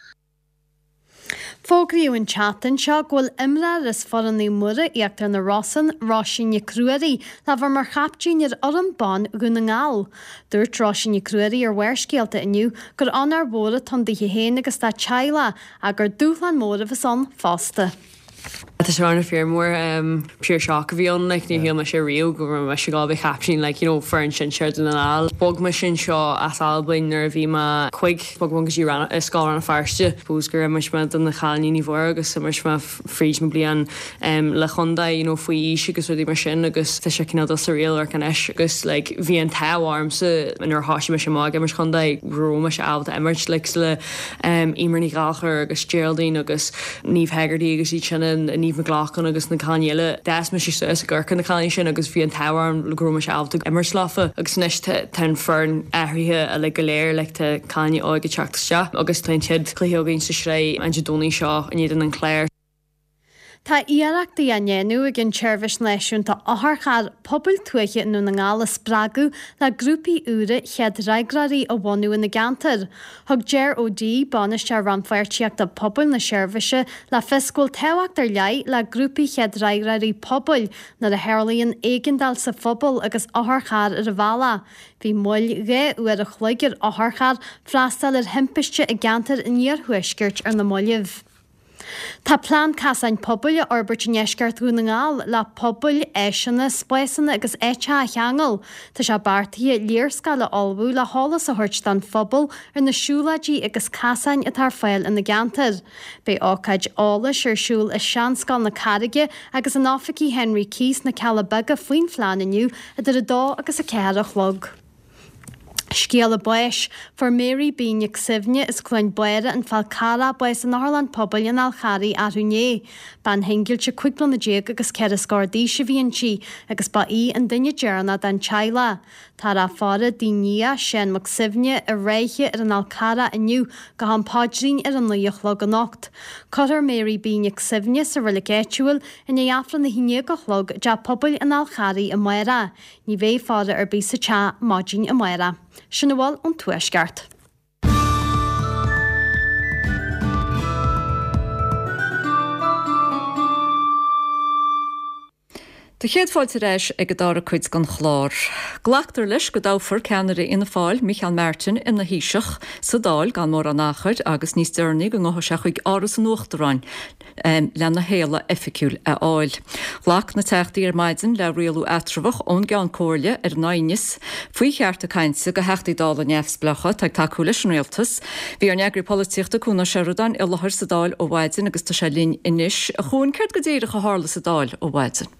Fógraíodh an tseachtain seo go bhfuil imreoir as foireann Naomh Muire, Íochtar na Rosann, Róisín Nic Ruairí, le bheith mar chaiptín ar fhoireann ban Dhún na nGall. Dúirt Róisín Nic Ruairí ar Bharrscéalta inniu gur onóir mhór atá ann daoithe féin agus dá teaghlach ach gur dúshlán mór a bheas ann fosta. Tá sé ana fíor mór, pure shock a bhí ann, like níor shíl mise riamh go raibh mise ag gabháil a bheith captaen like you know foireann sinsear Dún na nGall. Bhog mise anseo as Albain nuair a bhí mé cuig, bhog mé go dtí Scoil Rann na Feirste. Suppose gur imir mé do na cailíní Naomh Mhuire agus imir mé fríd mo bliain le chontae you know faoi aois agus rudaí mar sin agus tá sé cineál dul sa riail amharc anois agus like bhí an t-ádh ormsa nuair a thoisigh mise amach ag imirt chontae go raibh mise ábalta imirt like le Eimear Ní Ghallchóir agus Geraldine agus Niamh Hegarty agus iad sin and Niamh McLaughlin agus na cailíní eile. D'fhás mise suas ag amharc ar na cailíní sin agus bhí an t-ádh orm go raibh mise ábalta imirt leofa agus anois tá an foireann athraithe uilig go léir like tá cailíní óga ag teacht isteach agus tá an chéad chluiche againn sa sraith an Dé Domhnaigh seo in éadan an Chláir. Tá iarrachtaí á ndéanamh ag an tSeirbhís Náisiúnta Otharcharr pobail tuaithe i nDún na nGall a spreagadh le grúpaí úra chéad fhreagróirí a bhunú ina gceantar. Thug Ger O'Dea, Bainisteoir Rannpháirtíochta Pobail na seirbhíse, le fios go bhfuil tábhacht ar leith le grúpaí chéad fhreagróirí pobail nuair a tharlaíonn éigeandáil sa phobal agus otharcharr ar an bhealach. Bhí moill 2 uair a chloig ar otharcharr freastal ar thimpiste i gceantar an iarthuaiscirt ar na mallaibh. Tá plean casáin pobail á fhorbairt i ndeisceart Dhún na nGall le pobail, áiseanna, spásanna agus áiteacha a cheangal. Tá sé beartaithe léarscáil a ullmhú le heolas a thabhairt don phobal ar na siúlóidí agus casáin atá ar fáil ina gceantar. Beidh ócáid eolais ar siúl i Seanscoil na Carraige agus in oifigí Henry Quay sna Cealla Beaga faoin phlean inniu idir 2 agus 4 a chlog. Scéala báis, Fuair Mary B Nic Suibhne as Cluain Báire an Fál Carrach bás in Otharlann Pobail an Fháil Charraigh arú inné. Bean shingilte 15 bliana agus ceithre scór d'aois a bhí inti agus ba í an duine deireanach den teaghlach. Táthar á faire dá nia, Seán Mac Suibhne, i Ráithe ar an Fhál Carrach inniu go ham paidrín ar a naoi a chlog anocht. Cuirfear Mary B Nic Suibhne sa roilig áitiúil i ndiaidh Aifreann 11 a chlog i dTeach Pobail an Fháil Charraigh amárach. Ní bheidh faire ar bith sa teach maidin amárach. Sin a bhfuil ón Tuaisceart. Tá céad fáilte ar ais ag an dara cuid den chlár. Glactar leis go dtoghfar ceannaire Fhianna Fáil, Micheál Martin, ina Thaoiseach sa Dáil gan mórán achair agus níos deireanaí go ngabhfaidh sé chuig Áras an Uachtaráin lena shéala oifigiúil a fháil. Ghlac na Teachtaí ar maidin le rialú eatramhach ón gCeann Comhairle ar an aighneas faoi chearta cainte do Theachtaí Dála neamhspleácha atá ag tacú leis an Rialtas. Bhí ár n-eagraí polaitíochta Cuan Ó Seireadáin i láthair sa Dáil ó mhaidin agus tá sé linn anois. A Chuain, céard go díreach a tharla sa Dáil ó mhaidin?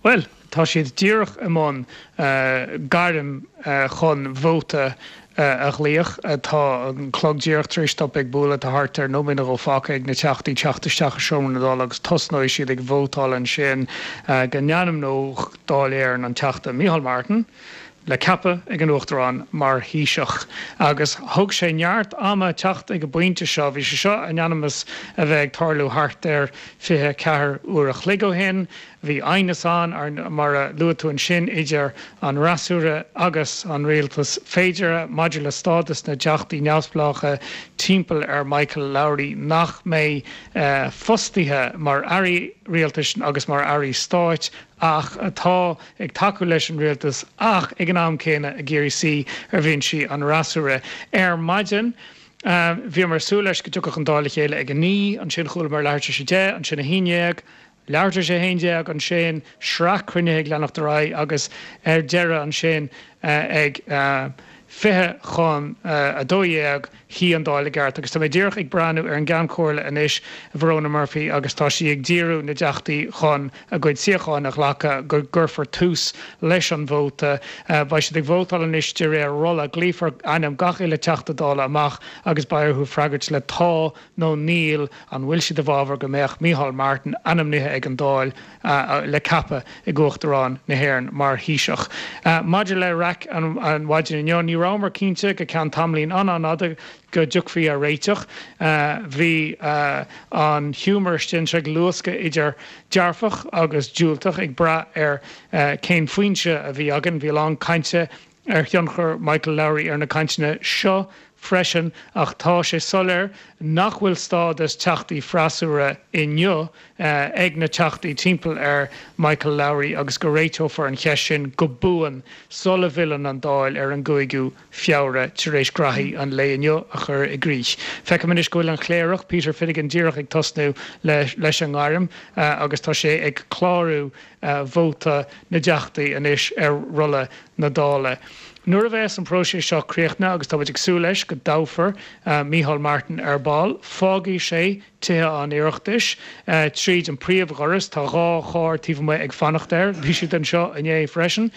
Bhuel, tá siad díreach i mbun gairm chun vóta a ghlaoch. Tá an clog díreach tar éis stop ag bualadh. Tá thart ar nóiméad nó dhó fágtha ag na Teachtaí teacht isteach i seomra na Dála agus tosnóidh siad ag vótáil ansin go n-ainmneodh Dáil Éireann an Teachta Micheál Martin, le ceapadh ag an Uachtarán mar Thaoiseach agus thóg sé neart ama teacht ag an bpointe seo. Bhí sé seo in ainm is a bheith ag tarlú thart ar 24 uair a chloig ó shin. Bhí aighneas ann, mar a luaigh tú ansin, idir an fhreasúra agus an rialtas féideartha maidir le stádas na dteachtaí neamhspleácha timpeall ar Michael Lowry nach mbeidh fostaithe mar airí rialtais agus mar airí stáit ach atá ag tacú leis an rialtas ach ag an am céanna ag iarraidh suí ar bhinsí an fhreasúra. Ar maidin, bhíomar ag súil leis go dtiocfadh an Dáil le chéile ag 9, ansin chualamar leathuair tar éis 10, ansin 11, leathuair tar éis 11, ansin sraith cruinnithe ag leanacht ar aghaidh agus ar deireadh ansin ag 11:40, Shuigh an Dáil i gceart agus tá mé díreach ag breathnú ar an gCeann Comhairle anois, Verona Murphy, agus tá sí ag díriú na dTeachtaí chun a gcuid suíocháin a ghlacadh go gcuirfear tús leis an vóta. Beidh siad ag vótáil anois de réir rolla. Glaofar ainm gach uile Teachta Dála amach agus beidh orthu freagairt le 'tá' nó 'níl' an bhfuil siad i bhfabhar go mbeadh Micheál Martin ainmnithe ag an Dáil le ceapadh ag Uachtarán na hÉireann mar Thaoiseach. Maidir le raic an mhaidin inniu, ní rabhamar cinnte go ceann tamaillín an-an-fhada go dtiocfaí ar réiteach. Bhí an giúmar istigh anseo ag luascadh idir dearfach agus diúltach ag brath ar cén foinse a bhí againn. Bhí a lán cainte ar thionchar Michael Lowry ar na cainteanna seo freisin ach tá sé soiléir nach bhfuil stádas teachtaí freasúra inniu ag na teachtaí timpeall ar Michael Lowry agus go réiteofar an cheist sin go buan sula bhfilleann an Dáil ar an gcúigiú Feabhra tar éis graithí an lae inniu a chur i gcrích. Feicim anois go bhfuil an Cléireach, Peter Finnegan díreach ag tosnú leis an ngairm agus tá sé ag clárú vóta na dTeachtaí anois ar rolla na Dála. Nuair a bheas an próiseas seo críochnaithe, agus tá muid ag súil leis go dtoghfar Micheál Martin ar ball, fágfaidh sé Tithe an Oireachtais tríd an príomhdhoras. Tá 2 charr taobh amuigh ag fanacht air. Bhí siad anseo inné freisin.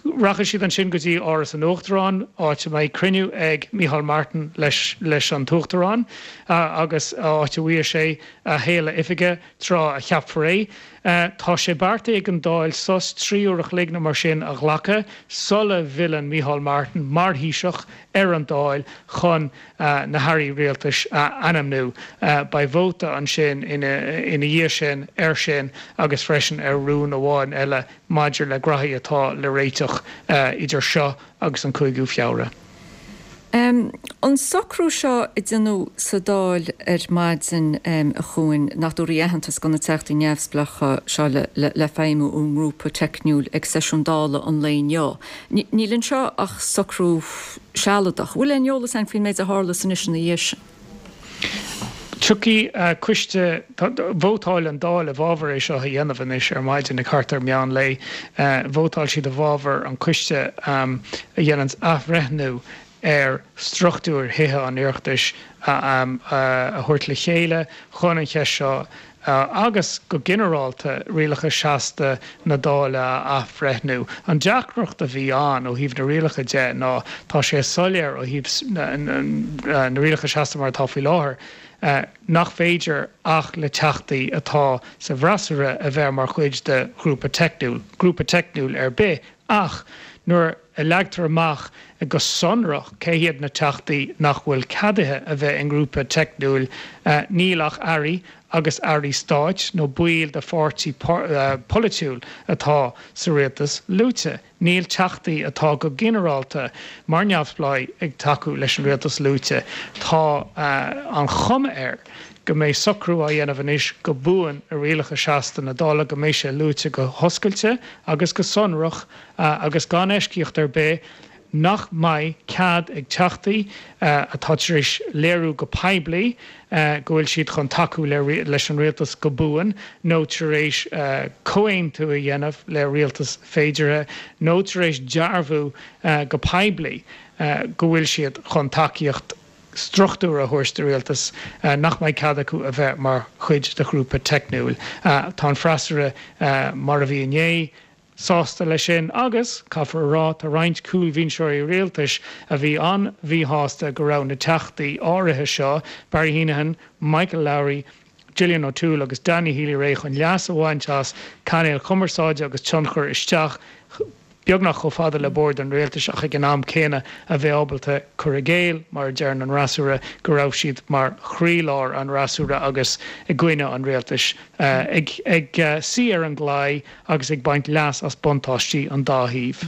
Rachaidh siad ansin go dtí Áras an Uachtaráin, áit a mbeidh cruinniú ag Micheál Martin leis an tUachtarán agus áit a bhfaighidh sé a shéala oifige tráth a cheapfar é. Tá sé beartaithe ag an Dáil sos 3 uair a chloig nó mar sin a ghlacadh sula bhfilleann Micheál Martin mar Thaoiseach ar an Dáil chun na hairí rialtais a ainmniú. Beidh vóta ansin ina dhiaidh sin air sin agus freisin ar rún amháin eile maidir le graithí atá le réiteach idir seo agus an 5ú Feabhra. An socrú seo a déanadh sa Dáil ar maidin, a Chuain, nach dtabharfaí aitheantas do na Teachtaí Neamhspleácha seo le feidhmiú i ngrúpa teicniúil ag seisiún Dála an lae inniu, níl anseo ach socrú sealadach. Bhfuil aon eolas againn faoin méid a tharlós anois ina dhiaidh sin? Tiocfaidh coiste, vótáil an Dáil i bhfabhar é seo a dhéanamh anois ar maidin ag thart ar meán lae. Vótáil siad i bhfabhar an coiste a dhéananns athbhreithniú ar struchtúir Thithe an Oireachtais a thabhairt le chéile chun an cheist seo agus go ginearálta rialacha seasta na Dála a athbhreithniú. An deacracht a bhí ann ó thaobh na rialacha de ná tá sé soiléir ó thaobh na rialacha seasta mar atá faoi láthair nach féidir ach le teachtaí atá sa bhfreasúra a bheith mar chuid de ghrúpa teicniúil, grúpa teicniúil ar bith ach nuair a leagtar amach go sonrach cé hiad na teachtaí nach bhfuil ceadaithe a bheith i ngrúpa teicniúil, níl ach airí agus airí stáit nó baill de pháirtí polaitiúil atá sa rialtas luaite. Níl teachtaí atá go ginearálta mar neamhspleáigh ag tacú leis an rialtas luaite. Tá an chuma air. go mbeidh socrú á dhéanamh anois go buan i rialacha seasta na Dála go mbeidh sé luaite go hoscailte agus go sonrach agus gan eisceacht ar bith nach mbeidh cead ag Teachtaí atá tar éis léiriú go poiblí go bhfuil siad chun tacú leis an rialtas go buan nó tar éis comhaontú a dhéanamh le rialtas féideartha nó tar éis dearbhú go poiblí go bhfuil siad chun tacaíocht struchtúrtha a thabhairt do rialtas, nach mbeidh cead acu a bheith mar chuid de ghrúpa teicniúil. Tá an freasúra, mar a bhí inné, sásta leis sin agus, caithfear a rá, tá roinnt cúlbhinseoirí rialtais a bhí an-mhíshásta go raibh na teachtaí áirithe seo, Barry Heneghan, Michael Lowry, Gillian O'Toole agus Danny Healy-Rae chun leas a bhaint as cainéil chumarsáide agus tionchar isteach beagnach chomh fada le bord an rialtais ach ag an am céanna a bheith ábalta cur i gcéill, mar a deireann an fhreasúra, go raibh siad mar chroílár an fhreasúra agus i gcoinne an rialtais, ag suí ar an gclaí agus ag baint leas as buntáistí an dá thaobh.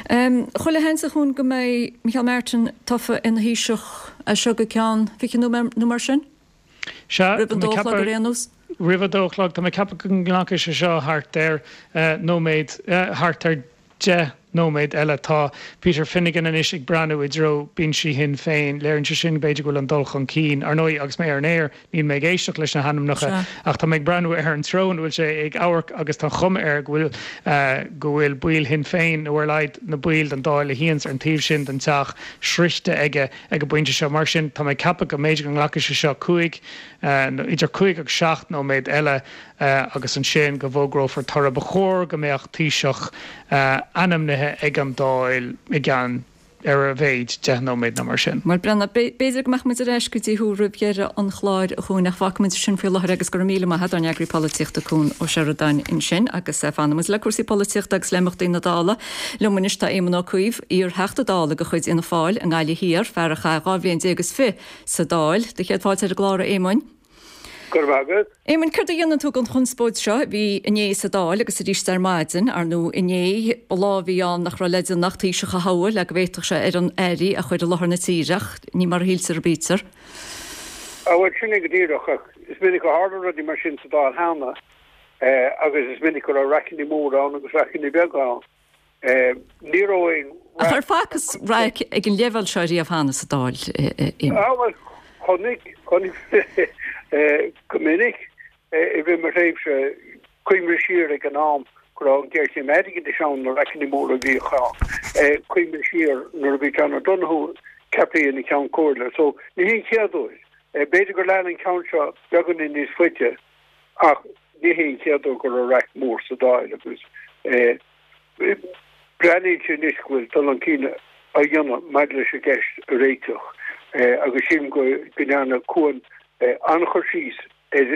Chuile sheans a Chuain go mbeidh Micheál Martin tofa ina Thaoiseach as seo go ceann 20 nóiméad nó mar sin? Sea, Roimh an dó a chlog ar aon nós? Roimh a dó a chlog. Tá mé ag ceapadh go nglacfaidh sé seo thart ar nóiméad, thart ar 10 nóiméad eile. Tá Peter Finnegan anois ag breathnú i dtreo binsí Shinn Féin. Léiríonn sé sin, b'fhéidir, go bhfuil an dul chun cinn. Ar ndóigh, agus mé ar an aer, níl mé ag éisteacht leis na hainmneacha, ach tá mé ag breathnú ar an treo ina bhfuil sé ag amharc agus tá an chuma air go bhfuil, go bhfuil baill Shinn Féin, nó ar a laghad na baill den Dáil a shuíonns ar an taobh sin den teach, sroichte aige. ag an bpointe seo. Mar sin, tá mé ag ceapadh go mb'fhéidir go nglacfaidh sé seo cúig, nó idir cúig agus seacht nóiméad eile agus ansin go bhfógrófar toradh. Ba chóir go mbeadh Taoiseach ainmnithe ag an Dáil i gceann, ar a mhéid, 10 nóiméad nó mar sin. Bhuel, Breandán, b'fhéidir go mbeadh muid ar ais go dtí thú roimh dheireadh an chláir, a Chuain, ach fágfaidh muid sin faoi láthair agus go raibh míle maith agat, ár n-eagraí polaitíochta Cuan Ó Seireadáin ansin agus fanfaidh muid le cúrsaí polaitíochta agus le imeachtaí na Dála. Liom anois tá Éamon Ó Cuív, iar-Theachta Dála de chuid Fhianna Fáil i nGaillimh Thiar, fear a chaith 12 bhliain is fi sa Dáil. Do chéad fáilte ar an gclár, a Éamoin. Go raibh maith agat. Éamoin, céard a dhéanann tú den chonspóid seo a bhí inné sa Dáil agus arís ar maidin? Ar ndóigh, inné, ba lá a bhí ann nach raibh le déanamh ach Taoiseach a thoghadh le go bhféadfadh sé ar an airí a chur i láthair na tíre, ach ní mar a shíltear a bítear. Á bhuel, sin é go díreach, ach is minic a tharla rudaí mar sin sa Dáil cheana. Agus is minic go raibh raiceanna móra ann agus raiceanna beaga ann. Ní raibh aon Ach ar facthas raic ag an leibhéal seo riamh cheana sa Dáil, Éamon? Ah bhuel, chonaic, chonaic go minic i rith mo thréimhse, cuimhnigh siar ag an am go raibh an ghéarchéim airgeadais ann, na raiceanna móra a bhíodh ann, cuimhnigh siar nuair a bhí John O'Donoghue ceaptha ina Cheann Comhairle. So, ní hé an chéad uair. B'fhéidir gur lean an ceann seo beagáinín níos faide. Ach ní hé an chéad uair go raibh raic mór sa Dáil agus breathnaíonn sé anois go bhfuil dul chun cinn á dhéanamh maidir leis an gceist a réiteach agus sílim go ndearna Cuan an-chur síos ar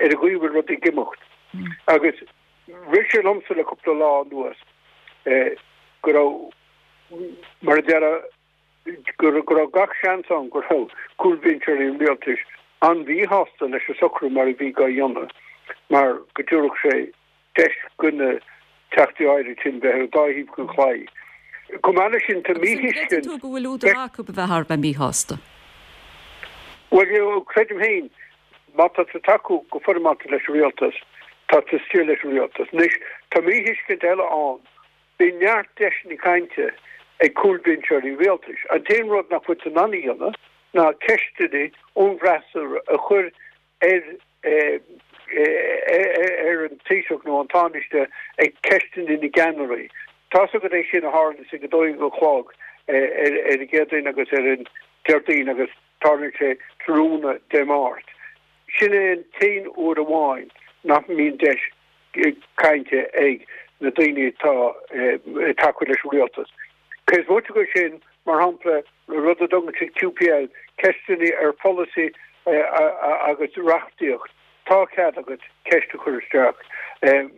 ar an gcaoi a bhfuil rudaí ag imeacht. Agus rith sé liomsa le cúpla lá anuas go raibh, mar a déarfá, go raibh gach seans ann go raibh cúlbhinseoirí an rialtais an-mhíshásta leis an socrú mar a bhí á dhéanamh mar go dtabharfadh sé deis do na teachtaí áirithe sin bheith ar an dá thaobh den chlaí. Chomh maith leis sin, tá Agus an míthuiscint. gcreideann tú go bhfuil údar acu a bheith thar a bheith míshásta? Bhuel, creidim féin, má tá tú ag tacú go foirmeálta leis an rialtas, tá tú istigh leis an rialtas. Anois, tá míthuiscint eile ann Bhí neart deiseanna cainte ag cúlbhinseoirí rialtais. An t-aon rud nach bhfuil siad in ann a dhéanamh ná ceisteanna ón bhfreasúra a chur ar ar an Taoiseach nó an Tánaiste ag ceisteanna na gceannairí. Tá's agat é sin a tharlaíonns ag a 12 a chlog ar an gCéadaoin agus ar an Déardaoin agus tarlaíonn sé tráthnóna Dé Máirt. Sin é an t-aon uair amháin nach mbíonn deis cainte ag na daoine atá ag tacú leis an rialtas. Cé is moite de sin, mar shampla, rud a dtugann siad QPL, ceisteanna ar pholasaí agus reachtaíocht, tá cead agat ceist a chur isteach.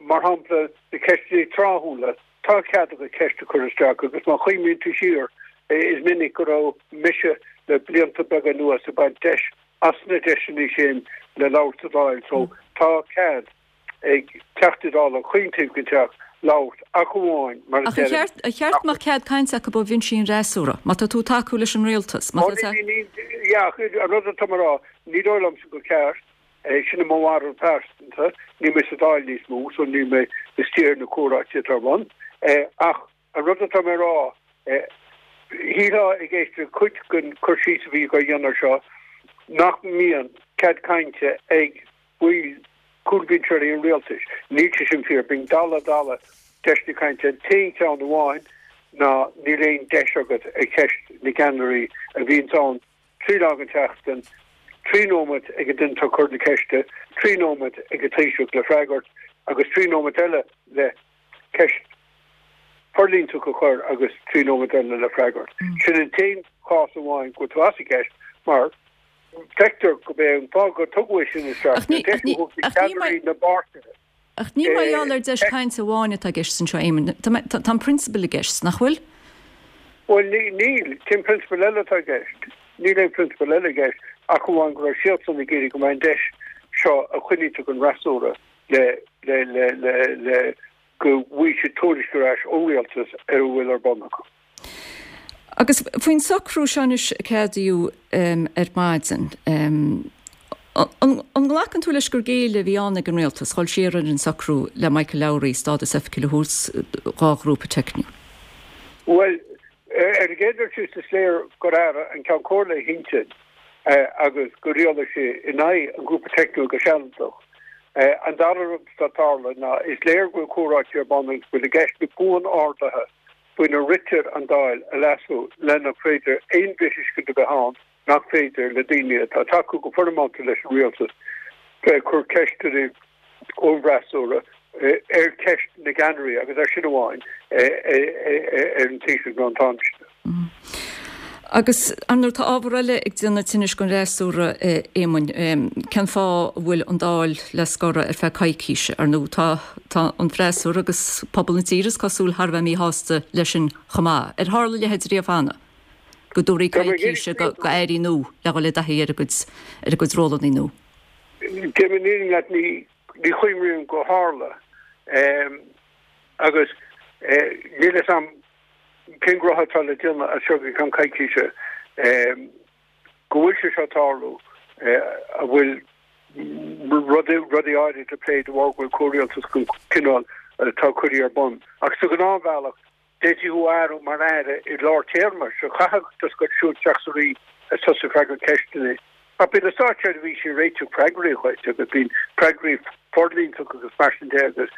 Mar shampla, na ceisteanna tráthúla, tá cead agat ceist a chur isteach agus má chuimhníonn tú siar, is minic go raibh mise le blianta beaga anuas ag baint deis as na deiseanna sin le labhairt sa Dáil so tá cead ag Teachtaí Dála chaon taobh den Teach labhairt ach amháin mar a Ach ar deirim cheart, ar cheart go mbeadh cead cainte acu ó bhinsí an fhreasúra, má tá tú ag tacú leis an rialtas, má Ó tá ní, ní, ní. Yeah, ach an rud atá mé a rá, ní dóigh liomsa gur ceart, sin mo bharúil pearsanta, níl mé sa Dáil níos mó, so níl mé istigh ar na comhráite atá ar bun, ach an rud atá mé a rá, shílfeá ag éisteacht le cuid den cur síos a bhí á dhéanamh air seo, nach mbíonn cead cainte ag baill cúlbhinseoirí an rialtais. Níl sé sin fíor. Bíonn dalladh dalladh deiseanna cainte. An t-aon cheann amháin ná níl aon deis agat ar cheist na gceannairí a bhíonns ann 3 lá den tseachtain, 3 nóiméad ag an duine atá ag cur na ceiste, 3 nóiméad ag an Taoiseach le freagairt agus 3 nóiméad eile le ceist forlíontach a chur agus 3 nóiméad eile le freagairt. Sin an t-aon chás amháin go bhfuil tú as an gceist mar feictear gurb é an fáth gur tugadh é sin isteach ná deis a thabhairt do cheannairí na bpáirtithe. Ach ní mar gheall ar deis cainte amháin atá i gceist anseo, Éamonn. Tá an prionsabal i gceist, nach bhfuil? Bhuel, níl. Cén prionsabal eile atá i gceist? Níl aon phrionsabal eile i gceist ach amháin go raibh siadsan ag iarraidh go mbeadh an deis seo a choinnítear don fhreasúra le le le le le go bhfaighidh siad tuairisc ar ais ón rialtas ar a bhfuil ar bun acu. Agus faoin socrú seo anois a ceadaíodh ar maidin, an nglacann tú leis gur géilleadh a bhí ann ag an rialtas dhul siar ar an socrú le Michael Lowry stádas oifigiúil a thabhairt dhá ghrúpa teicniúil? Bhuel, ar an gcéad dul síos is léir gur athraigh an Ceann Comhairle a hintinn agus gur rialaigh sé in aghaidh an ghrúpa teicniúil go sealadach. An dara rud atá ag tarlú ná is léir go bhfuil comhráite ar bun agus go bhfuil i gceist na buan-orduithe faoina ritear an Dáil a leasú le nach féidir aon mhíthuiscint a bheith ann nach féidir le daoine atá ag tacú go foirmeálta leis an rialtas bheith ag cur ceisteanna ón bhfreasúra ar cheist na gceannairí agus ar sin amháin ar an Taoiseach nó an Tánaiste. Agus ar ndóigh tá ábhar eile ag déanamh tinnis don fhreasúra, a Éamoinn. Cén fáth a bhfuil an Dáil le scoradh ar feadh coicíse? Ar ndóigh tá tá an freasúra agus pobal na tíre is cosúil thar a bheith míshásta leis sin chomh maith. Ar tharla a leithéid riamh cheana? Go dtabharfaí coicís do airí nua le dhul i dtaithí ar a gcuid ar a gcuid rólanna nua? Déarfaidh mé an fhírinne leat ní ní chuimhrím gur tharla. Agus níl a fhios a'm Cén gnótha atá le déanamh as seo go ceann coicíse? Go bhfuil sé seo ag tarlú, an bhfuil rudaí áirid le plé de bharr go bhfuil comhrialtas den chineál atá curtha ar bun. Ach sa ghnáthbhealach, d'fhéadfaí thú a athrú mar aire i lár téarma, so chaithfeadh just goil siúd isteach sa Roinn agus tosú ag freagairt ceisteanna. Ach bíonn na státseirbhísigh ag réiteach freagraí dhuit agus bíonn freagraí forlíontacha agus mar sin de agus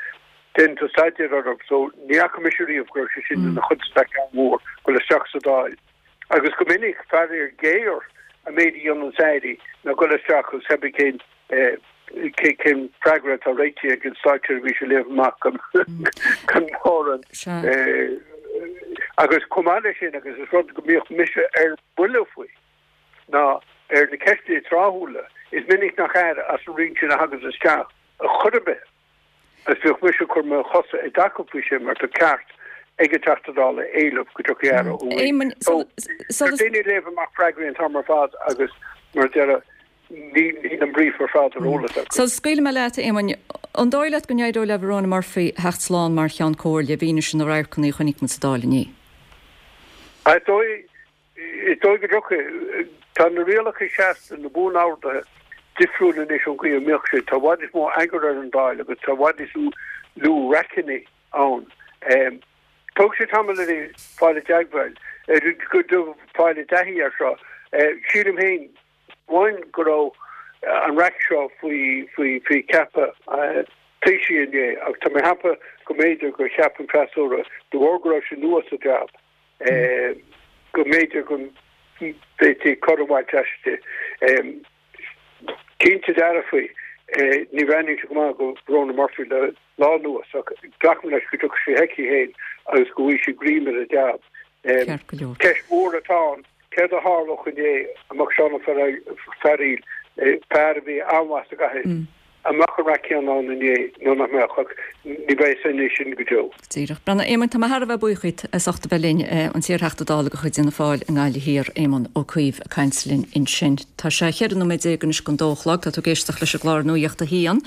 déanann tú staidéar orthu so ní fhaca mise riamh go raibh sé sin ina chonstaic an-mhór goil isteach sa Dáil. Agus go minic, faraor géar, an méid a dhéananns airí ná goil isteach agus cibé cén cén freagra atá réitithe ag an státseirbhís a léamh amach gan gan mórán agus chomh maith leis sin agus is rud go mbíodh mise ar buile faoi. ná ar na ceisteanna tráthúla. Is minic nach aire as an roinn sin a thaganns isteach ar chor ar bith agus bhíodh mise ag cur mo chosa i dtaca faoi sin mar tá ceart ag an Teachta Dála éileamh go dtiocfaidh aire ó roinn. So, tá daoine ag léamh amach freagraí an t-am ar fad agus mar a déarfá níl an brief ar fad ar eolas acu. Sula scaoilfidh mé leat, a Éamoinn, an dóigh leat go n-éireoidh le Verona Murphy theacht slán mar Cheann Comhairle i bhfianaise na radharcanna a chonaic muid sa Dáil inné? Is dóigh Is dóigh go dtiocfaidh. Tá na rialacha seasta, na buan-orduithe, difriúil anois ón gcaoi a mbíodh siad. Tá i bhfad níos mó eagair ar an Dáil agus tá i bhfad níos lú raiceanna ann. Tógfaidh sé tamall uirthi fáil i dteagmháil, fáil i dtaithí air seo. Sílim féin amháin go raibh an raic seo faoi faoi cheapadh Taoisigh inné ach tá mé ag ceapadh go mb'fhéidir gur cheap an freasúra, de bharr go raibh sé nua sa jab, go mb'fhéidir go bhféadfaí cor a bhaint aisti. Cinnte dearfa, ní bhreathnaíonn sé go maith do Verona Murphy le lá anuas ach glacaim leis go dtiocfaidh sí chuici féin agus go bhfaighidh sí greim ar an jab. Ceist mhór atá ann, céard a tharlódh inné dá mbeadh Seán Ó Fearghaíl, fear a bhí an-mhaith sa gcathaoir, An mbeadh an raic céanna ann inné nó nach mbeadh? Ach ní bheidh a fhios againn sin go deo. Díreach. Bhuel, a Éamoinn, tá mé thar a bheith buíoch díot as ucht a bheith linn, an t-iar-Theachta Dála de chuid Fhianna Fáil i nGaillimh Thiar, Éamon Ó Cuív, ag caint linn ansin. Tá sé 14 nóiméad anois don dó a chlog. Tá tú ag éisteacht leis an gclár Nuacht a hAon.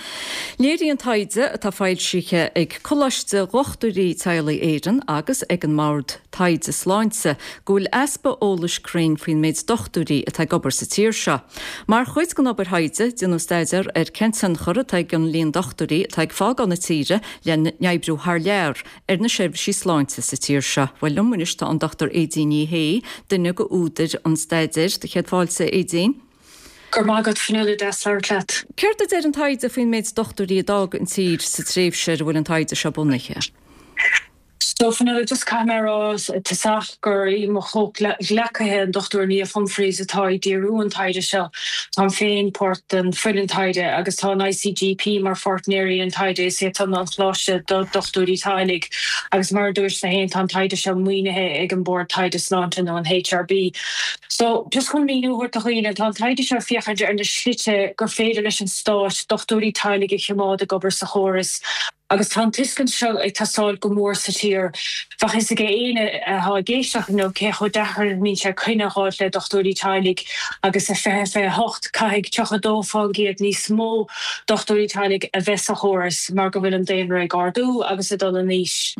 Léiríonn taighde atá foilsithe ag Coláiste Dhochtúirí Teaghlaigh Éireann agus ag an mBord. Taighde Sláinte go bhfuil easpa eolais cruinn faoin méid dochtúirí atá ag obair sa tír seo. Mar chuid den obair thaighde, déanadh staidéar ar cén tionchar atá ag an líon dochtúirí atá ag fágáil na tíre lena n-oibriú thar lear ar na seirbhísí sláinte sa tír seo. Bhuel, liom anois tá an Dr Aedín Ní Shé, duine de údair an staidéir. Do chéad fáilte, a Aedín. Go raibh maith agat, Fionnuala, deas labhairt leat. Céard a deir an taighde faoin méid dochtúirí a d'fhág an tír sa tréimhse ar a bhfuil an taighde seo bunaithe? So, Fionnuala, just caithfidh mé a rá i dtosach gur í mo chomhghleacaithe, an Dr Niamh Humphreys, atá ag díriú an taighde seo. Táim féin páirt den foireann taighde agus tá an ICGP mar pháirtnéirí an taighde, is é san an Choláiste do Dhochtúirí Teaghlaigh agus mar a dúirt tú féin tá an taighde seo maoinithe ag an Bord Taighde Sláinte nó an HRB. So, just chun míniú a thabhairt do dhaoine, tá an taighde seo ag féachaint ar na slite gur féidir leis an Stát dochtúirí teaghlaigh a choimeád ag obair sa chóras Agus tá an tuiscint seo ag teastáil go mór sa tír. Bheadh fhios ag éinne atá ag éisteacht inniu cé chomh deacair a bhíonn sé coinne a fháilt le dochtúirí teaghlaigh agus i 2028 caithfidh 32% níos mó dochtúirí teaghlaigh a bheith sa chóras mar go bhfuil an daonra ag ardú agus ag dul in aois.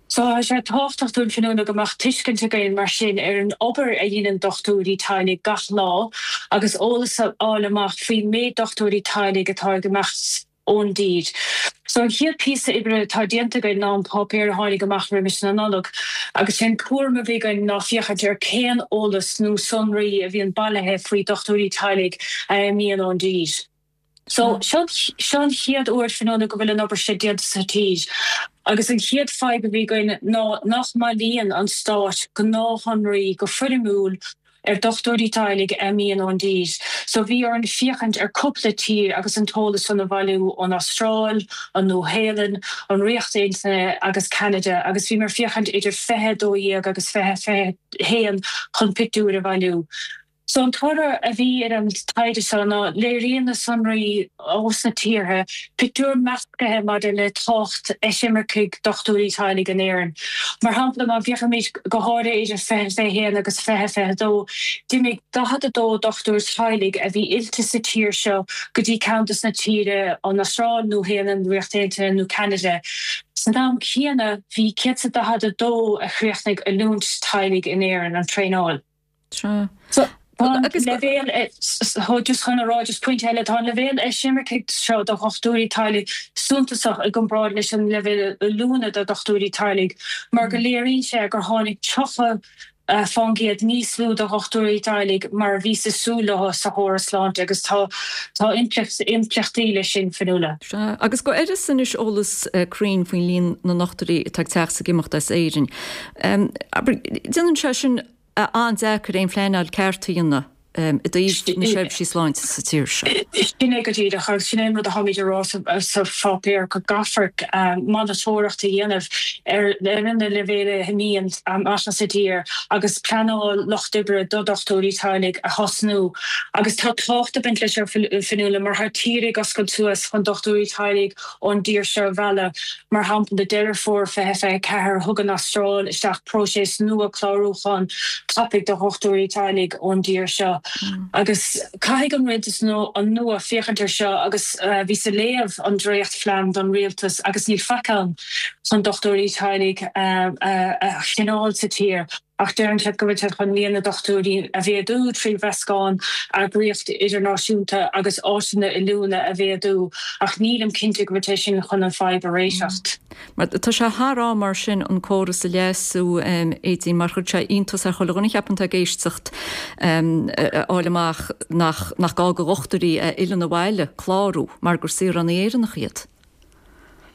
So tá sé tábhachtach dúinn Fionnuala go mbeadh tuiscint againn mar sin ar an obair a dhéanann dochtúirí teaghlaigh gach lá agus eolas a fháil amach faoin méid dochtúirí teaghlaigh atá ag imeacht ón dtír. So an chéad píosa oibre atá déanta againn ná an páipéar a tháinig amach roimis na Nollag agus sé an cúram a bhí againn ná féachaint ar cén eolas nó sonraí a bhíonn bailithe faoi dochtúirí teaghlaigh a imíonn ón dtír. So seo seo an chéad uair Fionnuala go bhfuil an obair seo déanta sa tír agus an chéad fadhb a bhí againn ná nach mbailíonn an Stát gnáthshonraí go foirmiúil ar dochtúirí teaghlaigh a imíonn ón dtír. So bhí orainn féachaint ar cúpla tír agus an t-eolas san a bhailiú ón Astráil, an Nua-Shéalainn, an Ríocht Aontaithe agus Ceanada agus bhíomar féachaint idir 2012 agus 2021 chun pictiúir a bhailiú. So an toradh a bhí ar an taighde seo ná léiríonn na sonraí ós na tíortha pictiúr meascaithe maidir le tábhacht eisimircigh dochtúirí teaghlaigh in Éirinn. Mar shampla, má bhféachaimid go háirithe idir 2021 agus 2022, d'imigh 42 dochtúir teaghlaigh a bhí oilte sa tír seo go dtí ceann dos na tíre, an Astráil, Nua-Shéalainn, Ríocht Aontaithe nó Ceanada. San am céanna, bhí 142 a chríochnaigh oiliúint teaghlaigh in Éirinn, an traenáil. Tá an leibhéal, just chun a rá, just pointe eile, tá an leibhéal eisimircigh seo do dhochtúirí teaghlaigh suntasach i gcomparáid leis an leibhéal oiliúna do dhochtúirí teaghlaigh mar go léiríonn sé gur tháinig 30% níos lú de dhochtúirí teaghlaigh mar a bhíothas ag súil leo sa chóras sláinte agus tá tá impleachtaí leis sin, Fionnuala. Sea, agus go háirithe anois eolas cruinn faoin líon na ndochtúirí atá ag teacht is ag imeacht as Éirinn. Abair, déanann sé sin an-deacair aon phleanáil ceart a dhéanamh i dtaobh na seirbhísí sláinte sa tír seo. Sin é go díreach agus sin é an rud atáimid a rá sa pháipéar, go gcaithfear monatóireacht a dhéanamh ar na leibhéil a imíonn amach as an dtír agus pleanáil lucht oibre do dhochtúirí teaghlaigh a thosnú. Agus tá tábhacht ag baint leis seo, Fionnuala, mar tá tír ag oscailt suas chun dochtúirí teaghlaigh ón dtír seo a mhealladh. Mar shampla, Deireadh Fómhair 2024, thug an Astráil isteach próiseas nua clárúcháin tapaidh do dhochtúirí teaghlaigh ón dtír seo. Agus caithfidh an rialtas nua féachaint air seo agus bhíos ag léamh an dréachtphlean don rialtas agus níl faic ann chun dochtúirí teaghlaigh a choinneáil sa tír. Ach deireann siad go bhfuil siad chun líon na dochtúirí a mhéadú trí mheascán eagraíocht idirnáisiúnta agus áiteanna oiliúna a mhéadú, ach nílim cinnte go bhfuil sé sin chun an fadhb a réiteacht. Mar tá sé thar am mar sin an córas a leasú, Aedín, mar chuir sé iontas ar chuile dhuine cheapfainn atá ag éisteacht a fháil amach nach nach gá do dhochtúirí a fhilleann abhaile clárú mar gur saoránaigh Éireannacha iad.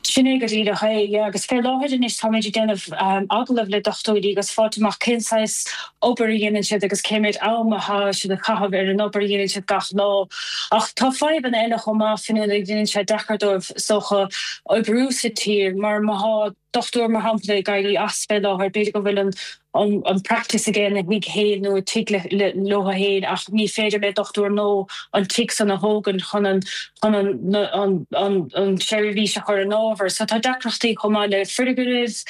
Sin é go díreach é, yeah. Agus fé láthair anois táimid ag déanamh agallamh le dochtúirí agus fáilt amach cén saghas obair a dhéanann siad agus cé méid am atá siad ag caitheamh ar an obair a dhéanann siad gach lá. Ach tá fadhbanna eile chomh maith, Fionnuala, a dhéanann sé deacair dóibh is dócha oibriú sa tír mar má thá dochtúir mar shampla ag éirí as fé láthair b'fhéidir go bhfuil an an practice aige ina thigh féin nó i tigh leo féin ach ní féidir le dochtúir nua an tigh san a thógaint chun an chun an an an an tseirbhís a chur in ábhar. So tá deacrachtaí chomh maith le foirgnimh,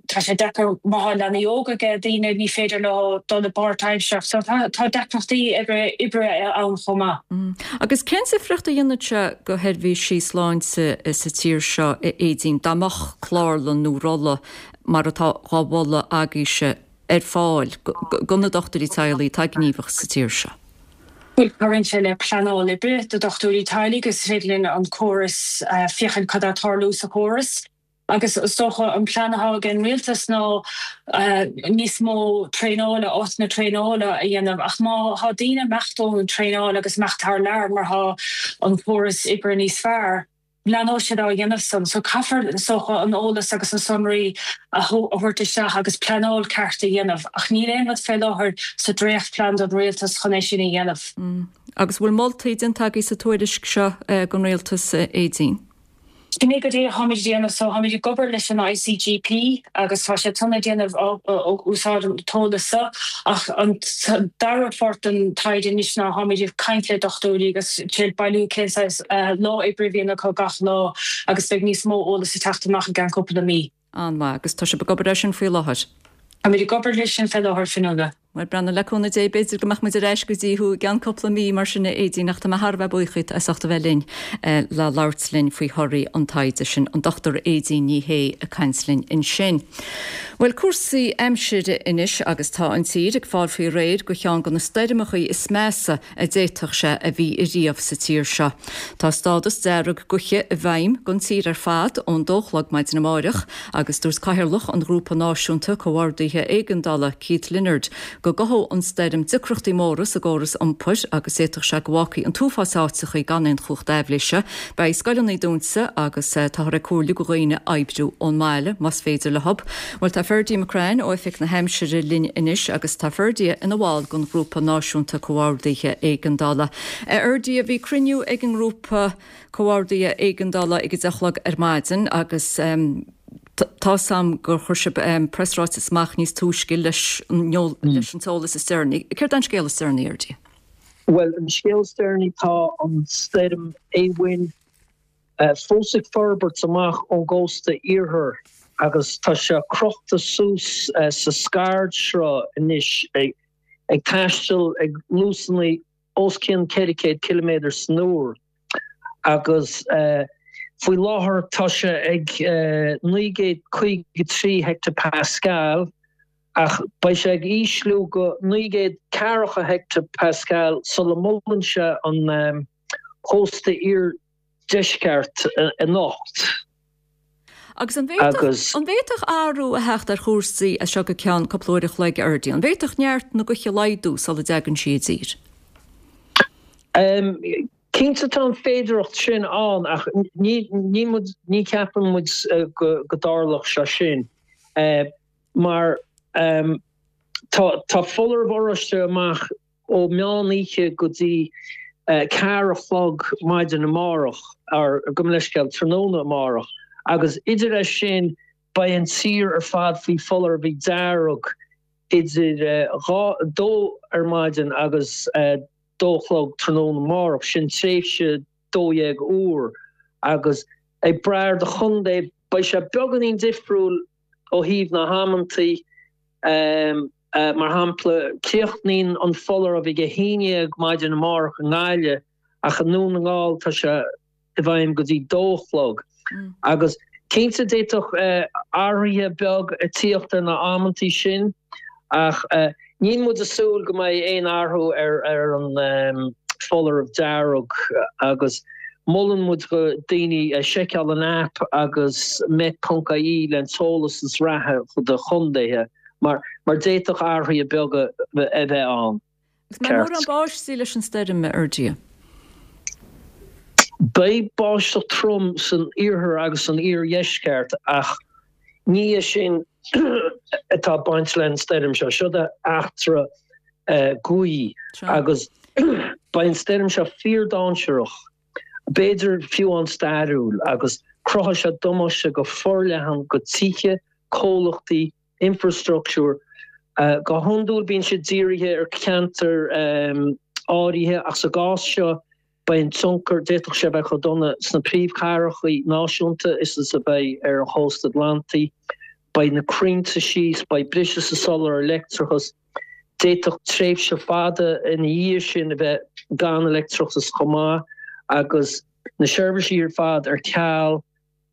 tá sé deacair má thá leanaí óga aige daoine ní féidir leo dul i bpáirtaimseartha. So tá tá deacrachtaí oibre oibre ann chomh maith. Agus cén difríocht a dhéanfadh sé do sheirbhísí sláinte sa tír seo, a Aedín, dá mbeadh clár. clárlann nó rolla mar atá dhá mholadh agaibhse ar fáil do na dochtúirí teaghlaigh atá gníomhach sa tír seo? Bhuel, cabhraíonn sé le pleanáil oibre do dhochtúirí teaghlaigh is féidir linn an córas, féachaint cad atá ag tarlú sa chóras. Agus is dócha an plean atá ag an rialtas ná níos mó traenála, áiteanna traenála a dhéanamh. Ach má thá daoine ag imeacht ón traenáil agus imeacht thar lear mar thá an córas oibre níos fearr, leanóidh siad á dhéanamh san. So caithfear is dócha an eolas agus na sonraí a thabhairt isteach agus pleanáil ceart a dhéanamh. Ach níl aon rud fé láthair sa dréachtphlean don rialtas chun é sin a dhéanamh. Agus bhfuil moltaí déanta agaibh sa tuairisc seo don rialtas, Aedín? Sin é go díreach atáimid ag déanamh. So táimid ag obair leis an ICGP agus tá siad san ag déanamh úsáid an t-eolas seo ach an dara pháirt den taighde anois ná táimid ag caint le dochtúirí agus ag bailiú cén saghas lá oibre a bhíonn acu gach lá agus beidh níos mó eolas ag teacht amach i gceann cúpla mí. An-mhaith. Agus tá sibh ag obair air sin faoi láthair? Táimid ag obair leis sin fé láthair, Fionnuala. Bhuel, breathnaigh, le cúnamh Dé, b'fhéidir go mbeadh muid ar ais go dtí thú i gceann cúpla mí mar sin, a Aedín, ach tá mé thar a bheith buíoch díot as ucht a bheith linn le labhairt linn faoi thorthaí an taighde sin. An Dr Aedín Ní Shé ag caint linn ansin. Bhuel, cúrsaí aimsire anois agus tá an tír ag fáil faoi réir do cheann de na stoirmeachaí is measa a d'fhéadfadh sé a bhí ariamh sa tír seo. Tá stádas dearg gaoithe i bhfeidhm don tír ar fad ón dó a chlog maidin amáireach agus dúirt Cathaoirleach an Ghrúpa Náisiúnta Comhordaithe Éigeandála, Keith Leonard, go gcothódh an stoirm deacrachtaí móra sa gcóras iompair agus d'fhéadfadh sé go bhfágfaí an t-uafás áiteachaí gan aon chumhacht aibhléise. Beidh scoileanna dúnta agus táthar ag comhairliú do dhaoine oibriú ón mbaile más féidir leo. Bhuel tá Ferdie McCrann ó Oifig na hAimsire linn anois agus tá Ferdie ina bhall den Ghrúpa Náisiúnta Comhordaithe Éigeandála. A Fherdie, bhí cruinniú ag an nGrúpa Comhordaithe Éigeandála ag a deich a chlog ar maidin agus tá's a'm gur chuir sibh preasráiteas amach níos túisce leis an t-eolas is deireanaí. Céard é an scéal is deireanaí, a Fherdie? Bhuel, an scéal is deireanaí tá an stoirm Éowyn fós ag forbairt amach ón gcósta iarthair agus tá sé crochta suas sa scairdsruth anois, ag taisteal ag luasanna os cionn 400 ciliméadar san uair agus faoi láthair tá sé ag 953 heicteapascal ach beidh sé ag ísliú go 940 heicteapascal sula mbuaileann sé an cósta iardheisceart anocht. Agus an bhféadfadh, an bhféadfadh athrú a theacht ar chúrsaí as seo go ceann cúpla uair a chloig, a Fherdie? An bhféadfadh neart na gaoithe laghdú sula dtagann sí i dtír? Cinnte tá an féidearthacht sin ann ach ní, ní muid, ní cheapann muid go dtarlódh sé sin mar tá, tá foláireamh oráiste amach ó meán oíche go dtí ceathair a chlog maidin amárach, or gabh mo leithscéal, tráthnóna amárach, agus idir é sin beidh an tír ar fad faoi foláireamh dearg idir dhá, dó ar maidin agus dó a chlog tráthnóna amárach, sin tréimhse 12 uair, agus ag brath ar do chontae beidh sé beagáinín difriúil ó thaobh na hamantaí. Mar shampla, críochnaíonn an foláireamh ag 11 maidin amárach i nGaillimh ach i nDún na nGall tá sé i bhfeidhm go dtí dó a chlog. Agus cinnte d'fhéadfadh athruithe beag a tíocht ar na amantaí sin ach níl muid ag súil go mbeidh aon athrú ar an foláireamh dearg agus molann muid do daoine seiceáil an aip agus met.ie le an t-eolas is reatha do chontaetha. Mar mar d'fhéadfadh athruithe beaga a bheith ann. Agus an mbeidh mórán báistí leis an stoirm, a Fherdie? Beidh báisteach trom san iarthar agus san iardheisceart ach ní é sin atá ag baint leis an stoirm seo. Seo eachtra gaoithe agus beidh an stoirm seo fíordainséarach, b'fhéidir fiú an-stairiúil agus cruthóidh sé damáiste go forleathan go tithe, comhlachtaí, infreastruchtúr. Go hiondúil bíonn siad dírithe ar cheantair áirithe ach sa gcás seo beidh an tionchar, d'fhéadfadh sé a bheith chomh dona sna príomhchathracha náisiúnta is is a bheidh ar an chósta Atlantaigh. Beidh na crainnte síos, beidh briseadh sa soláthar leictreachais, d'fhéadfadh tréimhse fada ina dhiaidh sin a bheith gan leictreachas chomh maith agus na seirbhísí ar fad ar ceal.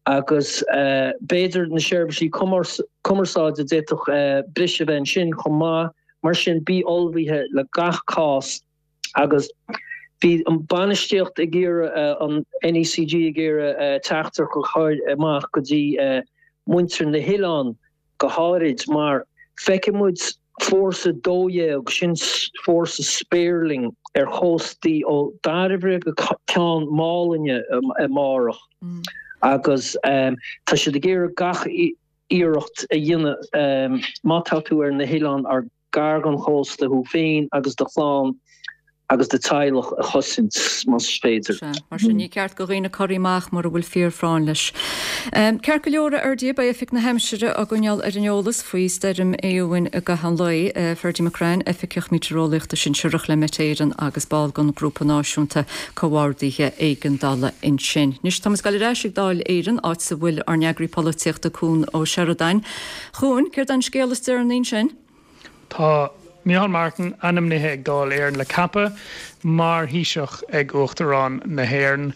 Agus b'fhéidir na seirbhísí cumarsáide, d'fhéadfadh briseadh a bheith ansin chomh maith. Mar sin, bí ullmhaithe le gach cás. Agus bhí an bainistíocht ag iarraidh, an NECG ag iarraidh teachtaireacht a chur amach go dtí muintir na hoileán go háirid mar feicfidh muid Fórsa 12, sin fórsa spéirling ar chóstaí ó Dairbhre go Ceann Málainne amárach agus tá siad ag iarraidh gach iarracht a dhéanamh má tá tú ar na hoileáin ar gar don chósta thú féin agus do chlann agus do theaghlach a chosaint, más féidir. Sea, mar sin ní ceart do dhaoine corraí amach mura bhfuil fíorphráinn leis. Ceart go leor, a Fheirdí, beidh Oifig na hAimsire á gcoinneáil ar an eolas faoi stoirm Éowyn i gcaitheamh an lae. Ferdie McCrann, Oifigeach Meitéareolaíochta Sinsearach le Met Éireann agus ball den Ghrúpa Náisiúnta Comhordaithe Éigeandála ansin. Anois táimid ag dul ar ais ag Dáil Éireann, áit a bhfuil ár n-eagraí polaitíochta Cuan Ó Seireadáin. Chuan, céard é an scéal is deireanaí ansin? Tá Micheál Martin ainmnithe ag Dáil Éireann le ceapadh mar Thaoiseach ag Uachtarán na hÉireann.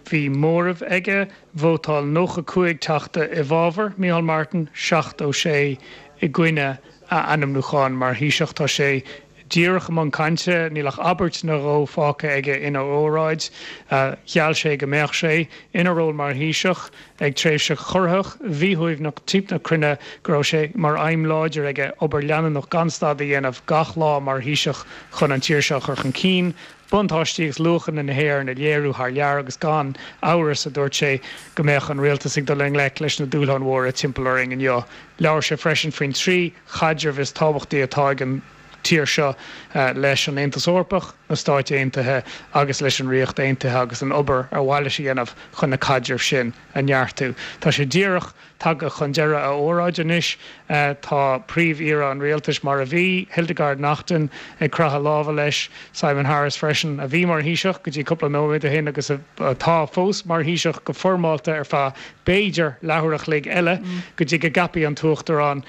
Bhí móramh aige, vótáil 95 teachta i bhfabhar Micheál Martin, 76 i gcoinne a ainmniúcháin mar Thaoiseach. Tá sé díreach i mbun cainte, níl ach abairt nó dhó fágtha aige ina óráid. Gheall sé go mbeadh sé, ina ról mar Thaoiseach, ag tréimhse chorraitheach, mhíshuaimhneach timpeall na cruinne, go raibh sé mar aidhm láidir aige obair leanúnach gan stad a dhéanamh gach lá mar Thaoiseach chun an tír seo a chur chun cinn, buntáistí agus luachanna na hÉireann a léiriú thar lear agus gan amhras, a dúirt sé, go mbeadh an rialtas ag dul i ngleic leis na dúshláin mhóra timpeall orainn inniu. Labhair sé freisin faoin trí chaidreamh is tábhachtaí atá ag an tír seo leis an Aontas Eorpach, na Stáit Aontaithe agus leis an Ríocht Aontaithe agus an obair ar mhaith leis a dhéanamh chun na caidrimh sin a neartú. Tá sé díreach tagtha chun deireadh a óráid anois. Tá Príomh-Aoire an Rialtais mar a bhí, Hildegarde Naughton, ag croitheadh lámha leis, Simon Harris freisin, a bhí mar Thaoiseach go dtí cúpla nóiméad ó shin agus atá fós mar Thaoiseach go foirmeálta ar feadh b'fhéidir leathuair a chloig eile go dtí go gceapfaidh an tUachtarán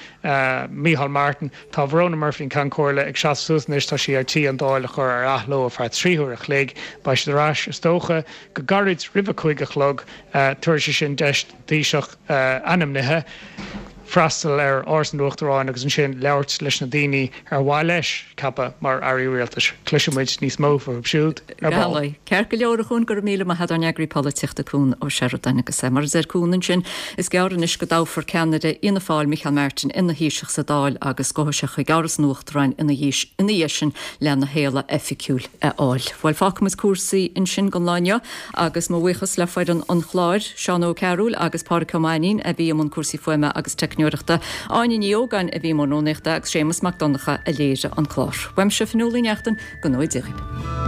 Micheál Martin. Tá Verona Murphy, an Ceann Comhairle, ag seasamh suas anois. Tá sí ar tí an Dáil a chur ar athló ar feadh 3 huair a chloig. Beidh siad ar ais, is dócha, go gairid roimh a 5 a chlog. Tabharfaidh sé sin deis don Taoiseach ainmnithe freastal ar Áras an Uachtaráin agus ansin labhairt leis na daoine ar mhaith leis ceapadh mar Airí Rialtais. Cloisfidh muid níos mó fúthu siúd ar ball. Ceart go leor, a Chuain, go raibh míle maith agat, ár n-eagraí polaitíochta Cuan Ó Seireadáin. Agus mar a deir Cuan ansin, is gearr anois go dtoghfar ceannaire Fhianna Fáil, Micheál Martin, ina Thaoiseach sa Dáil agus gabhfaidh sé chuig Áras an Uachtaráin ina dhiaidh sin lena shéala oifigiúil a fháil. Bhuel, fágfaidh muid cúrsaí ansin don lá inniu agus mo bhuíochas le foireann an chláir, Seán Ó Cearúil agus Pádraic Ó Mainnín a bhí i mbun cúrsaí fuaime agus teicneoireachta, Áine Ní Ógáin a bhí i mbun rúnaíochta agus Séamus Mac Donncha a léirigh an clár. Uaimse, Fionnuala Uí Neachtain, go ngnóthaí Dia dhaoibh.